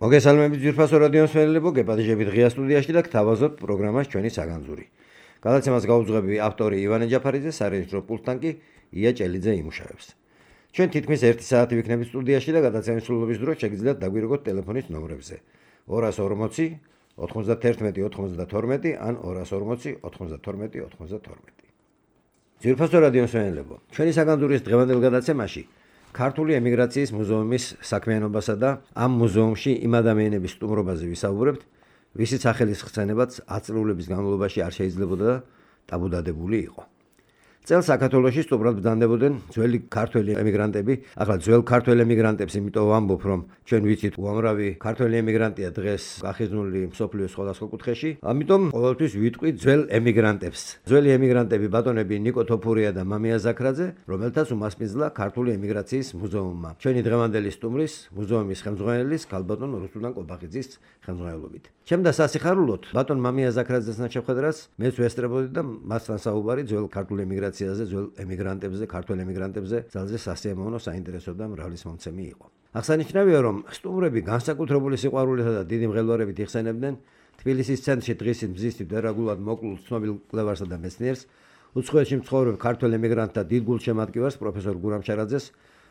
მოგესალმებით ძვირფასო რადიოს მსმენელებო, გეპატიჟებით ღია სტუდიაში და გთავაზობთ პროგრამას ჩვენი საგანძური. გადაცემას გაუძღვები ავტორი ივანე ჯაფარიძე, სარეჟისორო პულტთან კი ია ჭელიძე იმუშავებს. ჩვენ თითქმის 1 საათი ვიქნებით სტუდიაში და გადაცემის სრულობის დროს შეგიძლიათ დაგვირეკოთ ტელეფონის ნომრებზე 240 91 92 ან 240 92 92. ძვირფასო რადიოს მსმენელებო, ჩვენი საგანძურის დღევანდელ გადაცემაში ქართული ემიგრაციის მუზეუმის საქმიანობასა და ამ მუზეუმში იმ ადამიანების სტუმრობაზე ვისაუბრებთ, ვისიც სახელის ხსენებაც 10 წლების განმავლობაში არ შეიძლებოდა და ტაბუდადებული იყო. წელს საქართველოში სტუმრად ბრძანდებოდნენ ძველი ქართველი ემიგრანტები. ახლა ძველ ქართველ ემიგრანტებს იმიტომ ვამბობ, რომ ჩვენ ვიცით უამრავი ქართველი ემიგრანტია დღეს გახიზნული მსოფლიოს სხვადასხვა კუთხეში. ამიტომ ყოველთვის ვიტყვი ძველ ემიგრანტებს. ძველი ემიგრანტები ბატონები ნიკო თოფურია და მამია ზაქრაძე, რომელთაც უმასპინძლა ქართული ემიგრაციის მუზეუმმა. ჩვენი დღევანდელი სტუმრის, მუზეუმის ხელმძღვანელის ქალბატონ რუსუდან კობახიძის ხელმძღვანელობით. ჩემ და სასიხარულოდ ბატონ მამია ზაქრაძესთან შევხედრას მეც ვესწრებოდი და მასთან საუბარი ძველ ქართული ემიგრაციაზე, ძველ ემიგრანტებზე, ქართველ ემიგრანტებზე ძალზე სასიამოვნო, საინტერესო და მრავალისმომცემი იყო. აღსანიშნავია, რომ სტუმრები განსაკუთრებული სიყვარულითა და დიდი მღელვარებით იხსენებდნენ თბილისის ცენტრში დღისით მზისთით დარაგულად მოკლულ ცნობილ კვლევარსა და მეცნიერს, უცხოეთში მცხოვრებ ქართველ ემიგრანტთა დიდ გულშემატკივარს პროფესორ გურამ შარაძეს,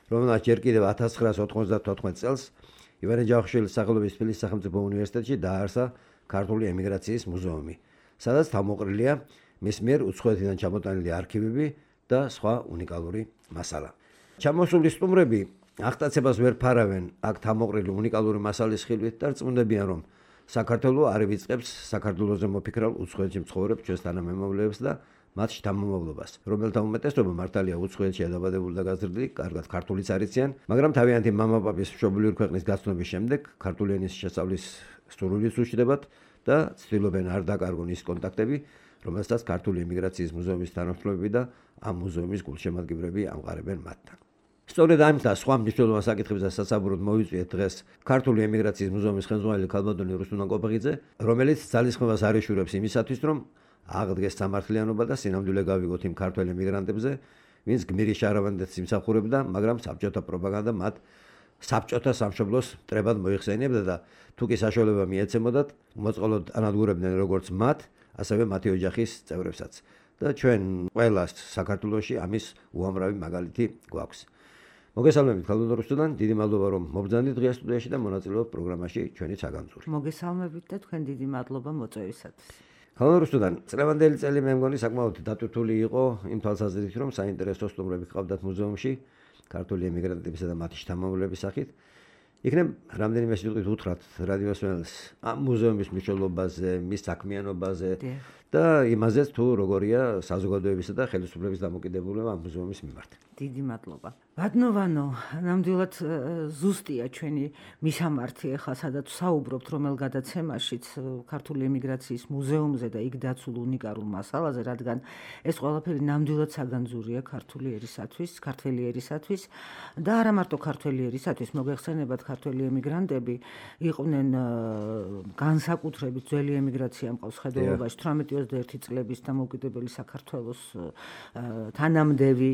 რომელმაც ჯერ კიდევ 1994 წელს ივანე ჯავახიშვილის სახელობის თბილისის სახელმწიფო უნივერსიტეტში დააარსა ქართული ემიგრაციის მუზეუმი, სადაც თავმოყრილია მის მიერ უცხოეთიდან ჩამოტანილი არქივები და სხვა უნიკალური მასალა. ჩამოსული სტუმრები აღტაცებას ვერ ფარავენ აქ თავმოყრილი უნიკალური მასალის ხილვით და რწმუნდებიან, რომ საქართველო არ ივიწყებს საქართველოზე მოფიქრალ უცხოეთში მცხოვრებ ჩვენს თანამემამულეებს და მათ შთამომავლობას, რომელთა უმეტესობა მართალია უცხოეთშია დაბადებული და გაზრდილი, კარგად ქართულიც არიციან, მაგრამ თავიანთი მამაპაპის მშობლიური ქვეყნის გაცნობის შემდეგ ქართული ენის შესწავლის სურვილიც უშდებათ და ცდილობენ არ დაკარგონ ის კონტაქტები, რომელსაც ქართული ემიგრაციის მუზეუმის თანამშრომლები და ამ მუზეუმის გულშემატკივრები ამყარებენ მათთან. სწორედ ამით და სხვა მნიშვნელოვან საკითხებზე სასაუბროდ მოვიწვიეთ დღეს ქართული ემიგრაციის მუზეუმის ხელმძღვანელი ქალბატონი რუსუდან კობახიძე, რომელიც ძალისხმევას არ ეშურებს იმისათვის, რომ აღდგეს სამართლიანობა და სინამდვილე გავიგოთ იმ ქართველ ემიგრანტებზე, ვინც გმირი შარავანდეთს იმსახურებდა, მაგრამ საბჭოთა პროპაგანდა მათ საბჭოთა სამშობლოს მტრებად მოიხსენიებდა და თუ კი საშუალება მიეცემოდათ, მოწყალოდ ანადგურებდნენ როგორც მათ, ასევე მათი ოჯახის წევრებსაც. და ჩვენ ყველას საქართველოში ამის უამრავი მაგალითი გვაქვს. მოგესალმებით ქალბატონ რუსუდან, დიდი მადლობა რომ მობრძანდით დღეს სტუდიაში და მონაწილეობთ პროგრამაში ჩვენი საგანძური. მოგესალმებით და თქვენ დიდი მადლობა მოწვევისათვის. ქალბატონ რუსუდან, წლევანდელი წელი მე მგონი საკმაოდ დატვირთული იყო იმ თვალსაზრისით, რომ საინტერესო სტუმრები ჰყავდათ მუზეუმში ქართული ემიგრანტებისა და მათი შთამომავლების სახით. იქნებ რამდენიმე სიტყვით უთხრათ რადიოს მსმენელს ამ მუზეუმის მნიშვნელობაზე, მის საქმიანობაზე და იმაზეც თუ როგორია საზოგადოებისა და ხელისუფლების დამოკიდებულება ამ მუზეუმის მიმართ. დიდი მადლობა. ბატონო, ნამდვილად ზუსტია ჩვენი მისამართი ახლა სადაც საუბრობთ რომელ გადაცემაშიც ქართული ემიგრაციის მუზეუმზე და იქ დაცულ უნიკალურ მასალაზე, რადგან ეს ყველაფერი ნამდვილად საგანძურია ქართული ერისათვის, ქართველი ერისათვის და არა მარტო ქართველი ერისათვის, მოგეხსენებათ ქართველი ემიგრანტები იყვნენ განსაკუთრებით ძველი ემიგრაცია მყავს ხედველობაში 18-21 წლების დამოუკიდებელი საქართველოს თანამდევი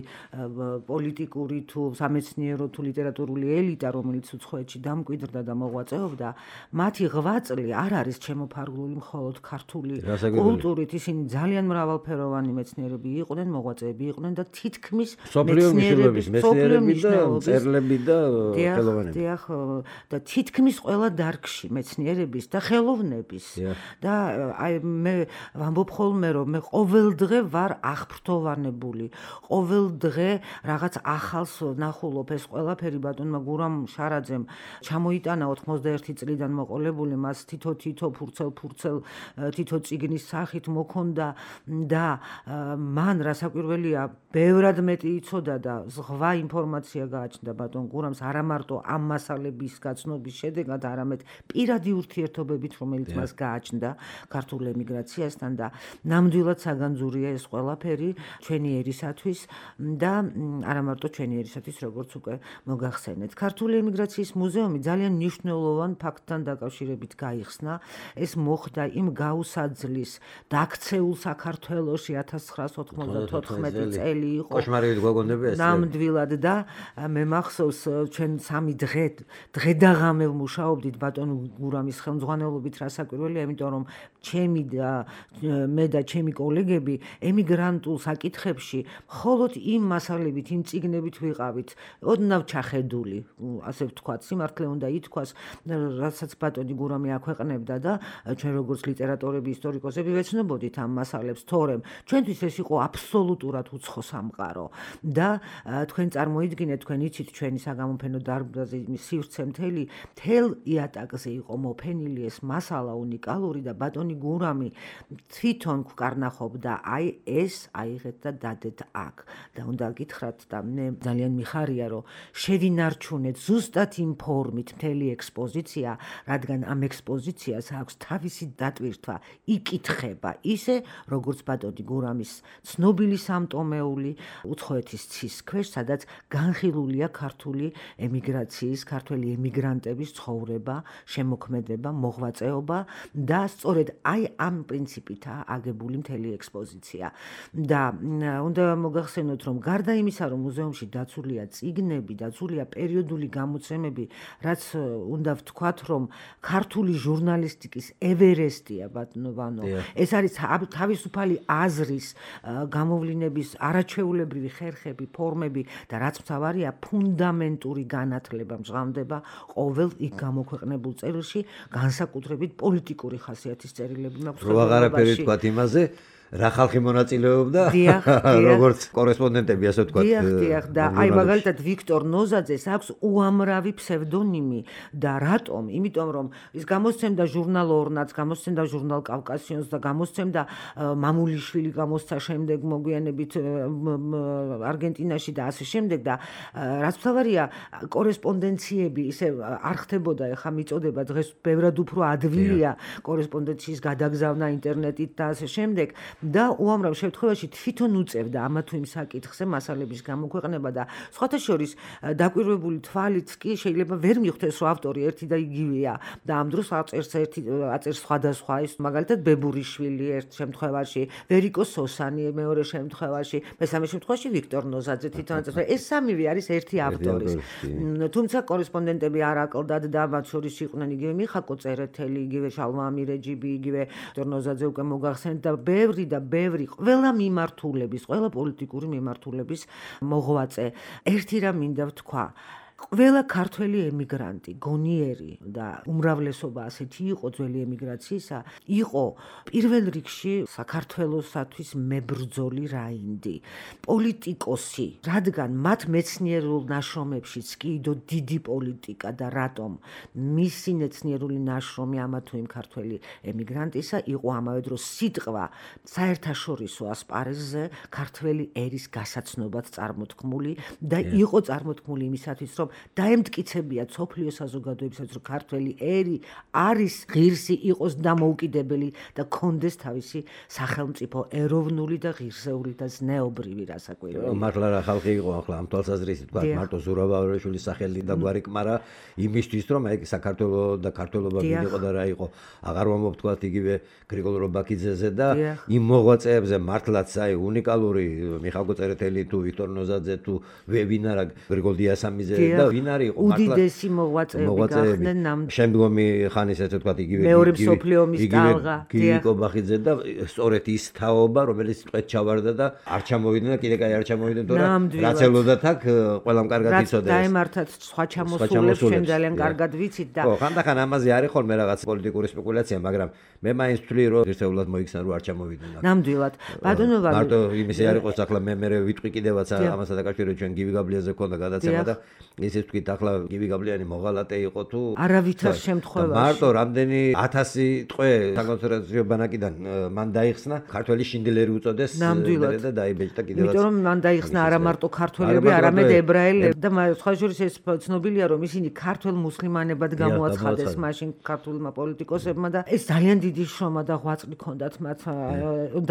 პოლიტიკური თუ სამეცნიერო თუ ლიტერატურული ელიტა, რომელიც უცხოეთში დამკვიდრდა და მოღვაწეობდა, მათი ღვაწლი არ არის ჩემოფარგლული მხოლოდ ქართული კულტურით, ისინი ძალიან მრავალფეროვანი მეცნიერები იყვნენ, მოღვაწეები იყვნენ და თითქმის მეცნიერების მეცნიერები და მწერლები და ხელოვნები. დიახ, და თითქმის ყველა დარგში მეცნიერების და ხელოვნების და აი მე ვამბობ ხოლმე, რომ მე ყოველ დღე ვარ აღფრთოვანებული, ყოველ დღე რაღაც ახალს ნახულობ. ეს ყველაფერი ბატონმა გურამ შარაძემ ჩამოიტანა 91 წლიდან მოყოლებული, მას თითო ფურცელ თითო წიგნის სახით მოქონდა და მან რასაკვირველია ბევრად მეტი იცოდა და ზღვა ინფორმაცია გააჩნდა ბატონ გურამს არა მარტო ამ მასალების გაცნობის შედეგად, არამედ პირადი ურთიერთობებით, რომელიც მას გააჩნდა ქართულ ემიგრაციასთან და ნამდვილად საგანძურია ეს ყველაფერი ჩვენი ერისათვის და არა მარტო ჩვენი ერისათვის, როგორც უკვე მოგახსენეთ. ქართული ემიგრაციის მუზეუმი ძალიან მნიშვნელოვან ფაქტთან დაკავშირებით გაიხსნა. ეს მოხდა იმ გაუსაძლის დაქცეულ საქართველოში 1994 წელი იყო. კოშმარებით გვაგონდება ეს. ნამდვილად და მე მახსოვს ჩვენ 3 დღე და ღამე მუშაობდით ბატონ გურამის ხელმძღვანელობით რასაკვირველია, იმიტომ რომ მე და ჩემი კოლეგები ემიგრანტულ საკითხებში მხოლოდ იმ მასალებით, იმ წიგნებით ვიყავით, ოდნავ ჩახედული, ასე ვთქვათ, სიმართლე უნდა ითქვას, რასაც ბატონი გურამი აქვეყნებდა და ჩვენ როგორც ლიტერატორები, ისტორიკოსები ვეცნობოდით ამ მასალებს, თორემ ჩვენთვის ეს იყო აბსოლუტურად უცხო სამყარო და თქვენ წარმოიდგინეთ, თქვენ იცით ჩვენი საგამოფენო დარბაზი სივრცე მთელ იატაკზე იყო მოფენილი ეს მასალა უნიკალური და ბატონი გურამი თვითონ გვკარნახობდა აი ეს აიღეთ და დადეთ აქ და უნდა გითხრათ და მე ძალიან მიხარია რომ შევინარჩუნეთ ზუსტად იმ ფორმით მთელი ექსპოზიცია, რადგან ამ ექსპოზიციას აქვს თავისი დატვირთვა, იკითხება ისე როგორც ბატონი გურამის ცნობილი სამტომეული უცხოეთის ცის ქვეშ, სადაც განხილულია ქართული ემიგრაციის, ქართველი ემიგრანტების ცხოვრება, შემოქმედება, მოღვაწეობა და სწორედ აი ამ პრინციპითაა აგებული მთელი ექსპოზიცია. და უნდა მოგახსენოთ, რომ გარდა იმისა, რომ მუზეუმში დაცულია წიგნები, დაცულია პერიოდული გამოცემები, რაც უნდა ვთქვათ, რომ ქართული ჟურნალისტიკის ევერესტია ბატონო. ეს არის თავისუფალი აზრის გამოვლინების არაჩვეულებრივი ხერხები, ფორმები და რაც მთავარია, ფუნდამენტური განათლება მჟღავდება ყოველ იქ გამოქვეყნებულ წერილში, განსაკუთრებით პოლიტიკური ხასიათის წერილები მაქვს. რო აღარაფერი თქვათ იმაზე, რა ხალხი მონაწილეობდა როგორც კორესპონდენტები, ასე ვთქვათ. დიახ, და აი მაგალითად ვიქტორ ნოზაძეს აქვს უამრავი ფსევდონიმი და რატომ? იმიტომ რომ ის გამოსცემდა ჟურნალ ორნაც, გამოსცემდა ჟურნალ კავკასიონს და გამოსცემდა მამულიშვილი გამოსცა შემდეგ მოგვიანებით არგენტინაში და ასე შემდეგ და რაც მთავარია კორესპონდენციები ისე არ ხდებოდა, ეხა მიწოდება დღეს ბევრად უფრო ადვილია კორესპონდენციის გადაგზავნა ინტერნეტით და ასე შემდეგ. და უამრავ შემთხვევაში თვითონ უწევდა ამა თუ იმ საკითხზე მასალების გამოქვეყნება და სხვათა შორის დაკვირვებული თვალით კი შეიძლება ვერ მიხვდეს, რომ ავტორი ერთი და იგივეა და ამ დროს აწერს სხვადასხვა, ის მაგალითად ბებურიშვილი ერთ შემთხვევაში, ვერიკო სოსანი მეორე შემთხვევაში, მესამე შემთხვევაში ვიქტორ ნოზაძე თვითონ აწერს. ეს სამივე არის ერთი ავტორის. თუმცა კორესპონდენტები არ აკლდათ და მათ შორის იყვნენ იგივე მიხაკო წერეთელი, იგივე შალვა ამირეჯიბი, იგივე ვიქტორ ნოზაძე უკვე მოგახსენეთ და ბევრი ყველა მიმართულების, ყველა პოლიტიკური მიმართულების მოღვაწე. ერთი რამ მინდა ვთქვა, ყველა ქართველი ემიგრანტი, გონიერი და უმრავლესობა ასეთი იყო ძველი ემიგრაციისა, იყო პირველ რიგში საქართველოსათვის მებრძოლი რაინდი, პოლიტიკოსი, რადგან მათ მეცნიერულ ნაშრომებშიც კი იდო დიდი პოლიტიკა და რატომ მისი მეცნიერული ნაშრომი ამა თუ იმ ქართველი ემიგრანტისა იყო ამავე დროს სიტყვა საერთაშორისო ასპარეზზე ქართველი ერის გასაცნობად წარმოთქმული და იყო წარმოთქმული იმისათვის, რომ დაემტკიცებიათ სოფლიო საზოგადოებისაც, რომ ქართველი ერი არის ღირსი, იყოს დამოუკიდებელი და კონდეს თავისი სახელმწიფო ეროვნული და ღირსეული და ზნეობრივი რასაკვირველია. მართლა რა ხალხი იყო ახლა ამ თვალსაზრისით, თქვა მარტო ზურაბავრაშვილის სახელი და გვარი კმარა იმისთვის, რომ აი საქართველო და ქართველობა ვინ იყო და რა იყო, აღარ მომობთქვათ იგივე გრიგოლ რობაქიძეზე და იმ მოღვაწეებზე მართლაც აი უნიკალური მიხალკო წერეთელი თუ ვიქტორ ნოზაძე თუ ვინ არა გრიგოლ დიასამიძე და ვინ არის იყო მართლა უდიდესი მოღვაწეები გახდნენ ნამდვილად. შემდგომი ხანის ასე ვთქვათ იგივე მეორე მსოფლიო ომის ტალღა გიგო ბახიძე და სწორედ ის თაობა, რომელიც სიტყვით ჩავარდა და არ ჩამოვიდნენ და კიდე კაი არ ჩამოვიდნენ, თორემ რაც ელოდათ აქ ყველამ კარგად იცოდა ეს. დაემართათ სხვა ჩამოსულებს, ჩვენ ძალიან კარგად ვიცით და ხანდახან ამაზე არის ხოლმე რაღაც პოლიტიკური სპეკულაცია, მაგრამ მე მაინც ვთვლი, რომ ერთეულად მოიქცნენ, რომ არ ჩამოვიდნენ. ნამდვილად. ბატონო მარტო იმისი არ იყოს ახლა მე ვიტყვი კიდევაც ამასთან დაკავშირებით, ჩვენ გივი გაბლიაზე ქონდა გადაცემა და ისიც თქვით ახლა გივი გაბლიანი მოღალატე იყო თუ არავითარ შემთხვევაში მარტო რამდენი 1000 ტყვე საკონცენტრაციო ბანაკიდან მან დაიხსნა ქართველი შინდლერი უწოდეს და დაიბეჭდა კიდევაც. იმიტომ რომ მან დაიხსნა არა მარტო ქართველები, არამედ ებრაელები და სხვა შორის ეს ცნობილია რომ ისინი ქართველ მუსლიმანებად გამოაცხადეს მაშინ ქართულმა პოლიტიკოსებმა და ეს ძალიან დიდი შრომა და ღვაწლი ჰქონდათ მათ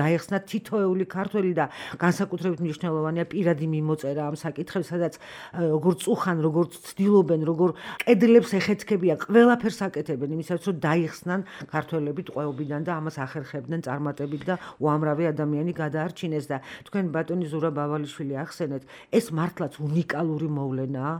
დაეხსნათ თითოეული ქართველი და განსაკუთრებით მნიშვნელოვანია პირადი მიმოწერა ამ საკითხებს, სადაც როგორ წუხან, როგორ ცდილობენ, როგორ კედლებს ეხეთქებიან, ყველაფერს აკეთებენ იმისათვის, რომ დაიხსნან ქართველები ტყვეობიდან და ამას ახერხებდნენ წარმატებით და უამრავი ადამიანი გადაარჩინეს და თქვენ ბატონი ზურაბ ავალიშვილი ახსენეთ, ეს მართლაც უნიკალური მოვლენაა,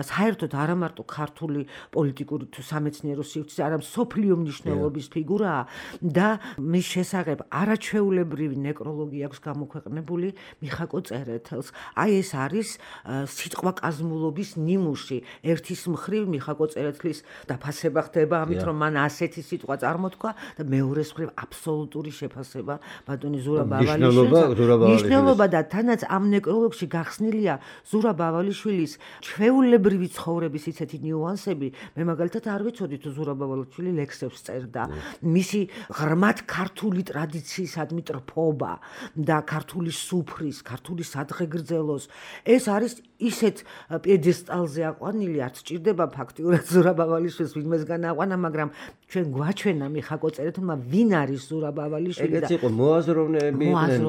საერთოდ არა მარტო ქართული პოლიტიკური თუ სამეცნიერო სივრცის, არამედ სოფლიო მნიშვნელობის ფიგურაა და მის შესახებ არაჩვეულებრივი ნეკროლოგი აქვს გამოქვეყნებული მიხაკო წერეთელს. აი ეს არის სიტყვა კაზმულობის ნიმუში. ერთის მხრივ მიხაკო წერეთლის დაფასება ხდება ამით, რომ მან ასეთი სიტყვა წარმოთქვა და მეორეს მხრივ აბსოლუტური შეფასება ბატონი ზურაბ ავალიშვილის ნიშნულობა და თანაც ამ ნეკროლოგში გახსნილია ზურაბ ავალიშვილის ჩვეულებრივი ცხოვრების ისეთი ნიუანსები. მე მაგალითად არ ვიცოდი თუ ზურაბ ავალიშვილი ლექსებს წერდა. მისი ღრმად ქართული ტრადიციისადმი ტრფობა და ქართული სუფრის, ქართული სადღეგრძელოს ეს არის ისეთ პიედესტალზე აყვანილი, არც ჭირდება ფაქტიურად ზურაბ ავალიშვილს ვინმესგან აყვანა, მაგრამ ჩვენ გვაჩვენა მიხაკო წერეთელმა ვინ არის ზურაბ ავალიშვილი და ეგეც იყო მოაზროვნეები იყვნენ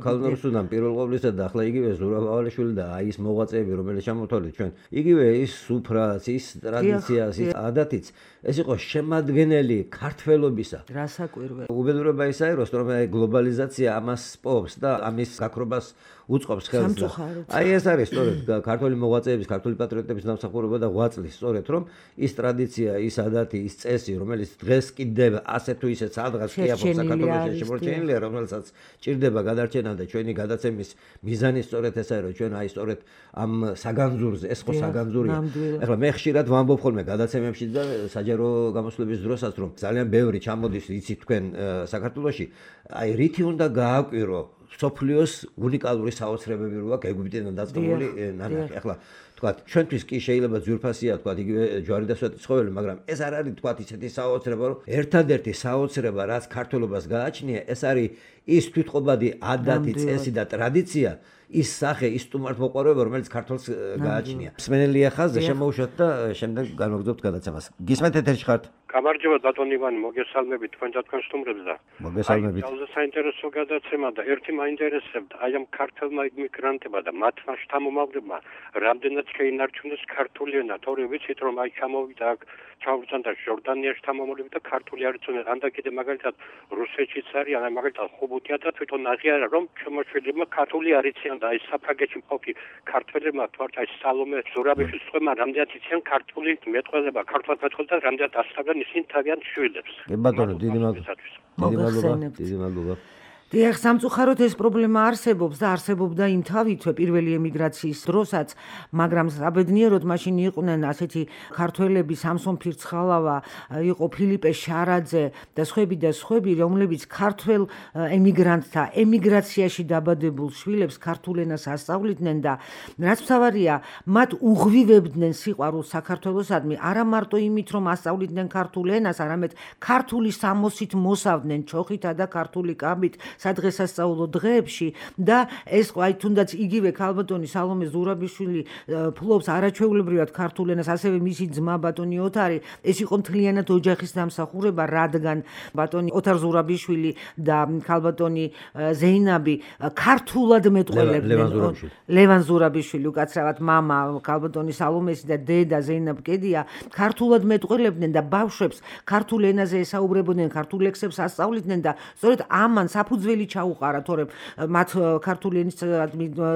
ქალნარუსუდან პირველ ყოვლისა და ახლა იგივე ზურაბ ავალიშვილი და აი ეს მოღვაწეები რომელიც ჩამოთვალეთ ჩვენ იგივე ის სუფრაც, ის ტრადიციას, ის ადათიც ეს იყო შემადგენელი ქართველობისა. რასაკვირველი. უბედურება ისაა, რომ გლობალიზაცია ამას პოვს და ამის გაქრობას უწყობს ხელს. აი ეს არის სწორედ ქართული მოღვაწეების, ქართული პატრიოტების დამსახურება და ღვაწლი, სწორედ რომ ის ტრადიცია, ის ადათი, ის წესი, რომელიც დღეს კიდევ ასე თუ ისე სადღაც კი აქვს საქართველოში შემორჩენილია, რომელსაც ჭირდება გადარჩენა და ჩვენი გადაცემის მიზანი სწორედ ესაა, რომ ჩვენ აი სწორედ ამ საგანძურზე, ეს ხო საგანძურია. ახლა მე ხშირად ვამბობ ხოლმე გადაცემებში და საჯარო გამოსვლების დროსაც, რომ ძალიან ბევრი ჩამოდის, იცით თქვენ საქართველოში, აი რითი უნდა გააკვირო სოფლიოს უნიკალური საოცრებები რო აქვს ეგვიპტიდან დაწყებული ნანახი. ახლა თქვათ, ჩვენთვის კი შეიძლება ძვირფასია თქვათ იგივე ჯვარი და სვეტი ცხოველი, მაგრამ ეს არ არის თქვათ ისეთი საოცრება, რომ ერთადერთი საოცრება, რაც ქართულობას გააჩნია, ეს არის ის თვითყოფადი ადათი, წესი და ტრადიცია, ის სახე, ის სტუმართმოყვარეობა, რომელიც ქართულს გააჩნია. მსმენელია ხაზზე შემოუშვათ და შემდეგ განვაგრძობთ გადაცემას. გისმენთ ეთერში ხართ? გამარჯობა ბატონი ივანი, მოგესალმებით თქვენ და თქვენ სტუმრებს და მოგესალმებით. ყველაზე საინტერესო გადაცემა და ერთი მაინტერესებდა აი ამ ქართულმა იმიგრანტებმა და მათმა შთამომავლებმა რამდენად შეინარჩუნეს ქართული ენა, თორე ვიცით რომ აი ჩამოვიდა აქ ჩავრცანდა ჟორდანიაში შთამომავლები და ქართული არ იცოდნენ, ან და კიდე მაგალითად რუსეთშიც არიან, აი მაგალითად ხუბუთია და თვითონ აღიარა რომ შემოშველებმა ქართული არ იციან და აი საფრანგეთში მყოფი ქართველებმა თქვათ აი სალომე ზურაბიშვილის წვემა რამდენად იციან ქართული მეტყველება, ქართულად მეტყველება და რამდენად ასწავლენ ისინი თავიანთ შვილებს. ბატონო, დიდი მადლობა. დიახ, სამწუხაროდ ეს პრობლემა არსებობს და არსებობდა იმ თავითვე პირველი ემიგრაციის დროსაც, მაგრამ საბედნიეროდ მაშინ იყვნენ ასეთი ქართველები, სამსონ ფირცხალავა, იყო ფილიპე შარაძე და სხვები, რომლებიც ქართველ ემიგრანტთა ემიგრაციაში დაბადებულ შვილებს ქართულ ენას ასწავლიდნენ და რაც მთავარია, მათ უღვივებდნენ სიყვარულს საქართველოსადმი, არა მარტო იმით, რომ ასწავლიდნენ ქართულ ენას, არამედ ქართული სამოსით მოსავდნენ ჩოხითა და ქართული კაბით სადღესასწაულო დღეებში და ეს აი თუნდაც იგივე ქალბატონი სალომე ზურაბიშვილი ფლობს არაჩვეულებრივად ქართულ ენას, ასევე მისი ძმა ბატონი ოთარი, ეს იყო მთლიანად ოჯახის დამსახურება, რადგან ბატონი ოთარ ზურაბიშვილი და ქალბატონი ზეინაბი ქართულად მეტყველებდნენ. ლევან ზურაბიშვილი უკაცრავად მამა ქალბატონი სალომესი და დედა ზეინაბ კედია ქართულად მეტყველებდნენ და ბავშვებს ქართულ ენაზე ესაუბრებოდნენ, ქართულ ლექსებს ასწავლიდნენ და სწორედ ამან საფუძველი ჩაუყარა, თორემ მათ ქართული ენის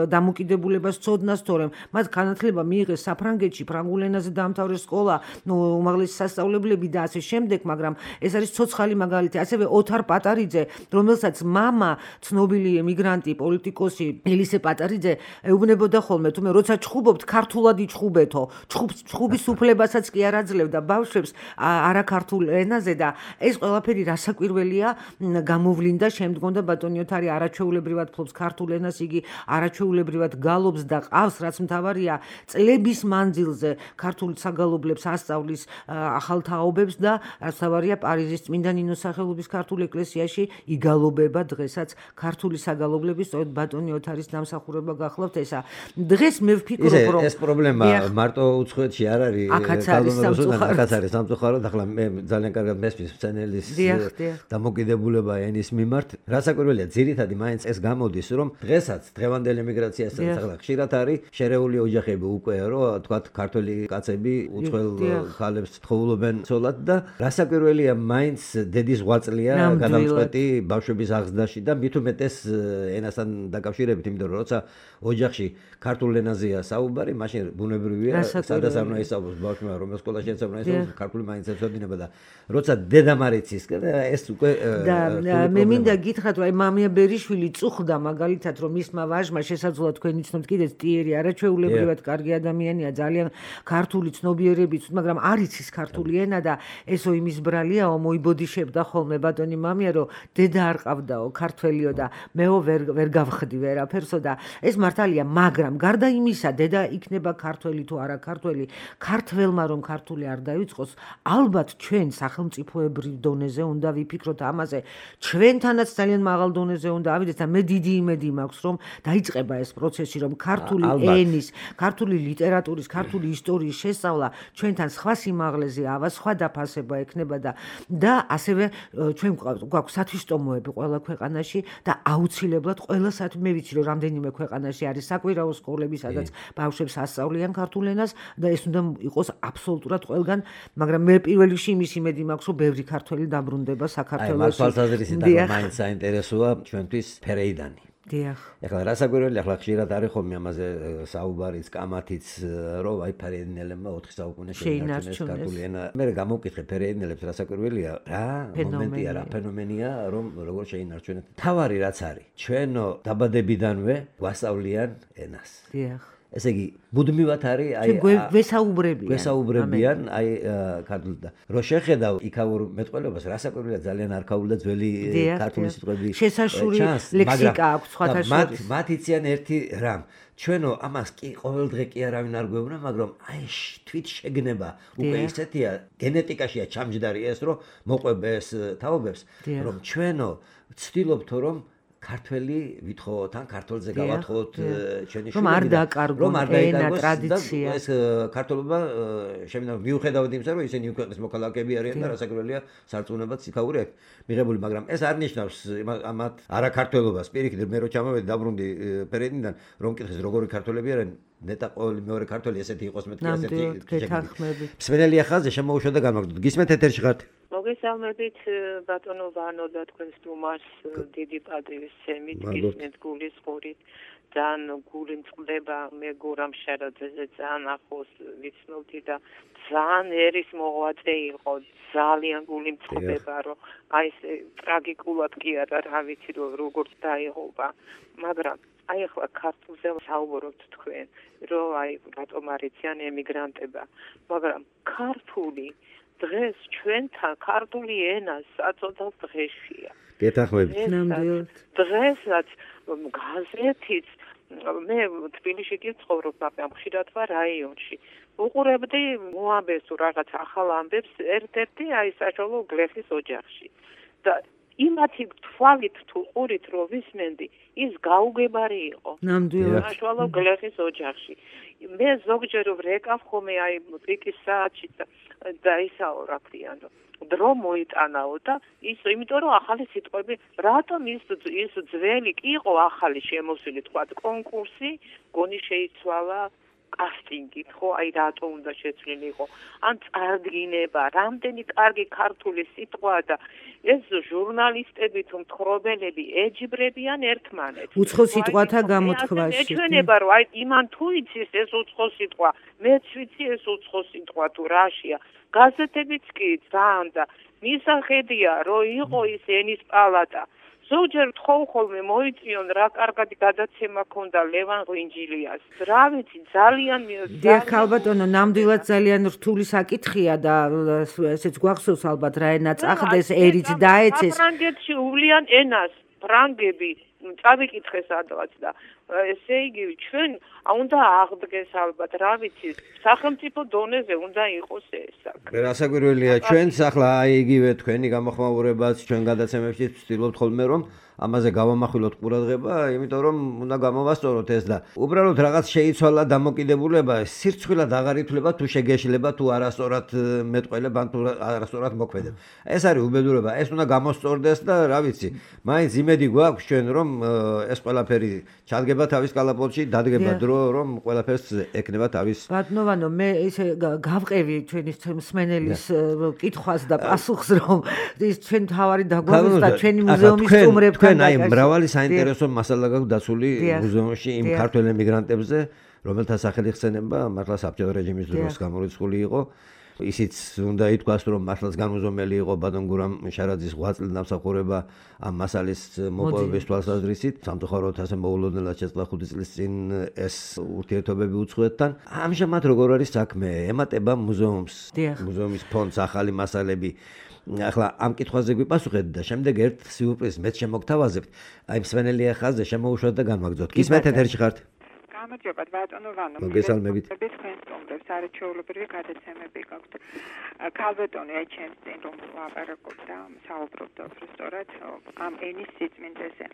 დამოკიდებულებას ცოდნას, თორემ მათ განათლება მიიღეს საფრანგეთში, ფრანგულ ენაზე დაამთავრეს სკოლა, უმაღლესი სასწავლებლები და ასე შემდეგ, მაგრამ ეს არის ცოცხალი მაგალითი. ასევე ოთარ პატარიძე, რომელსაც მამა ცნობილი ემიგრანტი, პოლიტიკოსი ელისე პატარიძე ეუბნებოდა ხოლმე, თუმე როცა ჩხუბობთ, ქართულად იჩხუბეთო. ჩხუბის უფლებასაც კი არ აძლევდა ბავშვებს არაქართულ ენაზე და ეს ყველაფერი რასაკვირველია გამოვლინდა შემდგომ და ბატონი ოთარი არაჩვეულებრივად ფლობს ქართულ ენას, იგი არაჩვეულებრივად გალობს და ყავს, რაც მთავარია, წლების მანძილზე ქართულ საგალობლებს ასწავლის ახალ თაობებს და რაც მთავარია, პარიზის წმინდა ნინოს სახელობის ქართულ ეკლესიაში იგალობება დღესაც ქართული საგალობლების, სწორედ ბატონი ოთარის დამსახურება გახლავთ ესა. დღეს მე ვფიქრობ, რომ ეს პრობლემა მარტო უცხოეთში არ არის, აქაც არის სამწუხაროდ, ახლა მე ძალიან კარგად მესმის მცენელის დამოკიდებულება ენის მიმართ. რასაკვირველია, ძირითადად მაინც ეს გამოდის, რომ დღესაც დღევანდელ ემიგრაციასთან ახლა ხშირად არის შერეული ოჯახები უკვე, რომ თქვათ ქართველი კაცები უცხოელ ქალებს თხოვლობენ ცოლად და რასაკვირველია, მაინც დედის ღვაწლია გადამწყვეტი ბავშვების აღზრდაში და მით უმეტეს ენასთან დაკავშირებით, იმიტომ რომ როცა ოჯახში ქართულ ენაზეა საუბარი, მაშინ ბუნებრივია, სადაც არ უნდა ისაუბროს ბავშვმა, რომელ სკოლაში ეცემა ისაუბროს, ქართული მაინც ეცოდინება და როცა დედა მარიცის, ეს უკვე და მე მინდა გითხრათ, რომ მამია ბერიშვილი წუხდა მაგალითად, რომ მისმა ვაჟმა შესაძლოა თქვენ იცნობთ კიდეც ტიერი არაჩვეულებრივად კარგი ადამიანია, ძალიან ქართული ცნობიერებით, მაგრამ არ იცის ქართული ენა და ესო იმის ბრალიაო, მოიბოდიშებდა ხოლმე ბატონი მამია, რომ დედა არ ყავდაო, ქართველიო და მეო ვერ გავხდი ვერაფერსო და ეს მართალია, მაგრამ გარდა იმისა, დედა იქნება ქართველი თუ არა ქართველი, ქართველმა რომ ქართული არ დაიწყოს, ალბათ ჩვენ სახელმწიფოებრივ დონეზე უნდა ვიფიქროთ ამაზე. ჩვენთანაც ძალიან მაღალ დონეზე უნდა ავიდეთ და მე დიდი იმედი მაქვს, რომ დაიწყება ეს პროცესი, რომ ქართული ენის, ქართული ლიტერატურის, ქართული ისტორიის შესწავლა ჩვენთან სხვა სიმაღლეზე ავა, სხვა დაფასება ექნება და ასევე ჩვენ გვაქვს სათვისტომოები ყველა ქვეყანაში და აუცილებლად ყველა მე ვიცი, რომ რამდენიმე ქვეყანაში არის საკვირაო სკოლები, სადაც ბავშვებს ასწავლიან ქართულ ენას და ეს უნდა იყოს აბსოლუტურად ყველგან, მაგრამ მე პირველ რიგში იმის იმედი მაქვს, რომ ბევრი ქართველი დაბრუნდება საქართველოში. აი, თვალსაზრისით მაინც საინტერესოა ჩვენთვის ფერეიდანი. დიახ. ეხლა რასაკვირველია, ახლა ხშირად არის ხოლმე ამაზე საუბარიც, კამათიც, რომ აი ფერეიდნელებმა 4 საუკუნეში შეინარჩუნეს ქართული ენა. მე გამოვკითხე ფერეიდნელებს, რასაკვირველია, რა მომენტია, რა ფენომენია, რომ როგორ შეინარჩუნეთ. თავარი რაც არის, ჩვენო დაბადებიდანვე გვასწავლიან ენას. დიახ. ესე იგი, მუდმივად არის აი გვესაუბრებიან აი ქართულად და რო შეხედავ იქაურ მეტყველებას, რასაკვირველია ძალიან არქაული და ძველი ქართული სიტყვები შესაშური ლექსიკა აქვს სხვათა შორის. მათ იციან ერთი რამ. ჩვენო ამას კი ყოველ დღე კი არავინ არ გვეუბნა, მაგრამ აი თვით შეგნება უკვე ისეთია, გენეტიკაშია ჩამჯდარი ეს, რომ მოყვება ეს თაობებს, რომ ჩვენო ვცდილობთ რომ ქართველი ვითხოვოთ, ან ქართულზე გავათხოვოთ ჩვენი შვილები, რომ არ დააკარგონ ენა, ტრადიცია. ეს ქართულობა შემიძლია მიუხედავად იმისა, რომ ისინი ქვეყნის მოქალაქეები არიან და რასაკვირველია სარწმუნოებაც იქაური აქვს მიღებული, მაგრამ ეს არ ნიშნავს ამათ არაქართველობას. პირიქით, მე რო ჩამოვედი დაბრუნდი ფერეიდნიდან, რომ მკითხეს როგორი ქართველები არიან, ნეტა ყოველი მეორე ქართველი ესეთი იყოს მეთქი ასეთი გეთანხმებით. მსმენელია ხაზზე შემოუშვა და განმაგდოთ. გისმენთ ეთერში ხართ? მოგესალმებით ბატონო ვანო და თქვენს სტუმარს დიდი პატივის სცემით, გისმენთ გულის ხურით. ძალიან გული მწყდება, მე გურამ შარაძეზე ძალიან ახლოს ვიცნობდი და ძალიან ერის მოღვაწე იყო, ძალიან გული მწყდება, რომ აი ეს ტრაგიკულად კი არა, რა ვიცი რომ როგორ დაიღობა, მაგრამ აი ახლა ქართულზე საუბრობთ თქვენ, რომ აი რატომ არიციან ემიგრანტება, მაგრამ ქართული დღეს ჩვენთან ქართული ენა საწოდავ დღეშია. გეთანხმებით. ნამდვილად. დღესაც გაზეთიც მე თბილისში კი ვცხოვრობ, მაგრამ ხშირად ვარ რაიონში. უყურებდი მოამბეს თუ რაღაც ახალ ამბებს ერთ-ერთი აი საშუალო გლეხის ოჯახში. და იმათი თვალით თუ ყურით რომ ვისმენდი, ის გაუგებარი იყო. ნამდვილად. საშუალო გლეხის ოჯახში. მე ზოგჯერ ვრეკავ ხოლმე აი პიკის საათში და ისაო რა ქვია, დრო მოიტანაო და ის იმიტომ რომ ახალი სიტყვები, რატომ ის ძველი კი იყო ახალი შემოსული თქვა კონკურსი, გონი შეიცვალა კასტინგით, ხო, აი რატო უნდა შეცვლილიყო, ან წარდგინება, რამდენი კარგი ქართული სიტყვა და ეს ჟურნალისტები თუ მთხრობელები ეჯიბრებიან ერთმანეთს. უცხო სიტყვათა გამოთქვაში. ეჩვენება რომ აი იმან თუ იცის ეს უცხო სიტყვა, მეც ვიცი ეს უცხო სიტყვა თუ რაშია. გაზეთებიც კი ძალიან და მისახედია რომ იყო ის ენის პალატა. ზოგჯერ თხოვ ხოლმე მოიწიონ რა კარგად გადაცემა ქონდა ლევან ღვინჯილიას. რა ვიცი ძალიან დიახ ალბათონო, ნამდვილად ძალიან რთული საკითხია და ესეც გვახსოვს ალბათ რა ენა წახდეს, ერიც დაეცეს. საფრანგეთში უვლიან ენას ფრანგები წავიკითხეს ადვაც და ესე იგი ჩვენ უნდა აღდგეს ალბათ რა ვიცი სახელმწიფო დონეზე უნდა იყოს ეს საქმე. რასაკვირველია ჩვენც ახლა აი იგივე თქვენი გამოხმაურებაც ჩვენ გადაცემებში ვცდილობთ ხოლმე რომ ამაზე გავამახვილოთ ყურადღება, იმიტომ რომ უნდა გამოვასწოროთ ეს და უბრალოდ რაღაც შეიცვალა დამოკიდებულება, სირცხვილად აღარ ითვლება თუ შეგეშლება თუ არასწორად მეტყველება თუ არასწორად მოქმედებ. ეს არის უბედურება, ეს უნდა გამოსწორდეს და რა ვიცი, მაინც იმედი გვაქვს ჩვენ რომ ეს ყველაფერი ჩადგება თავის კალაპოტში, დადგება დრო რომ ყველაფერს ეკნება თავის. ბატონო, მე ესე გავყევი ჩვენი მსმენელის კითხვას და პასუხს რომ ის ჩვენ თავარი დაგვაქვს და ჩვენი მუზეუმის სტუმრებთან თქვენ აი მრავალი საინტერესო მასალა გაქვთ დაცული მუზეუმში იმ ქართველ ემიგრანტებზე, რომელთა სახელი ხსენება მართლა საბჭოთა რეჟიმის დროს გამორიცხული იყო. ისიც უნდა ითქვას, რომ მართლაც განუზომელი იყო ბატონ გურამ შარაძის ღვაწლი დამსახურება ამ მასალის მოპოვების თვალსაზრისით. სამწუხაროდ ასე მოულოდნელად შეწყდა 5 წლის წინ ეს ურთიერთობები უცხოეთთან. ამჟამად როგორ არის საქმე? ემატება მუზეუმს, მუზეუმის ფონდს ახალი მასალები. ახლა ამ კითხვაზე გვიპასუხეთ და შემდეგ ერთ სიურპრიზს მეც შემოგთავაზებთ. აი მსმენელი ხაზზე შემოუშვათ და განვაგრძოთ. გისმენთ ეთერში ხართ? გამარჯობა ბატონო ვანო. მოგესალმებით. თქვენ სტუმრებს არაჩვეულებრივი გადაცემები გაქვთ. ქალბატონი აი ჩემს წინ რომ ვაპარაკობ და საუბრობ უბრალოდ ამ ენის სიწმინდეზე.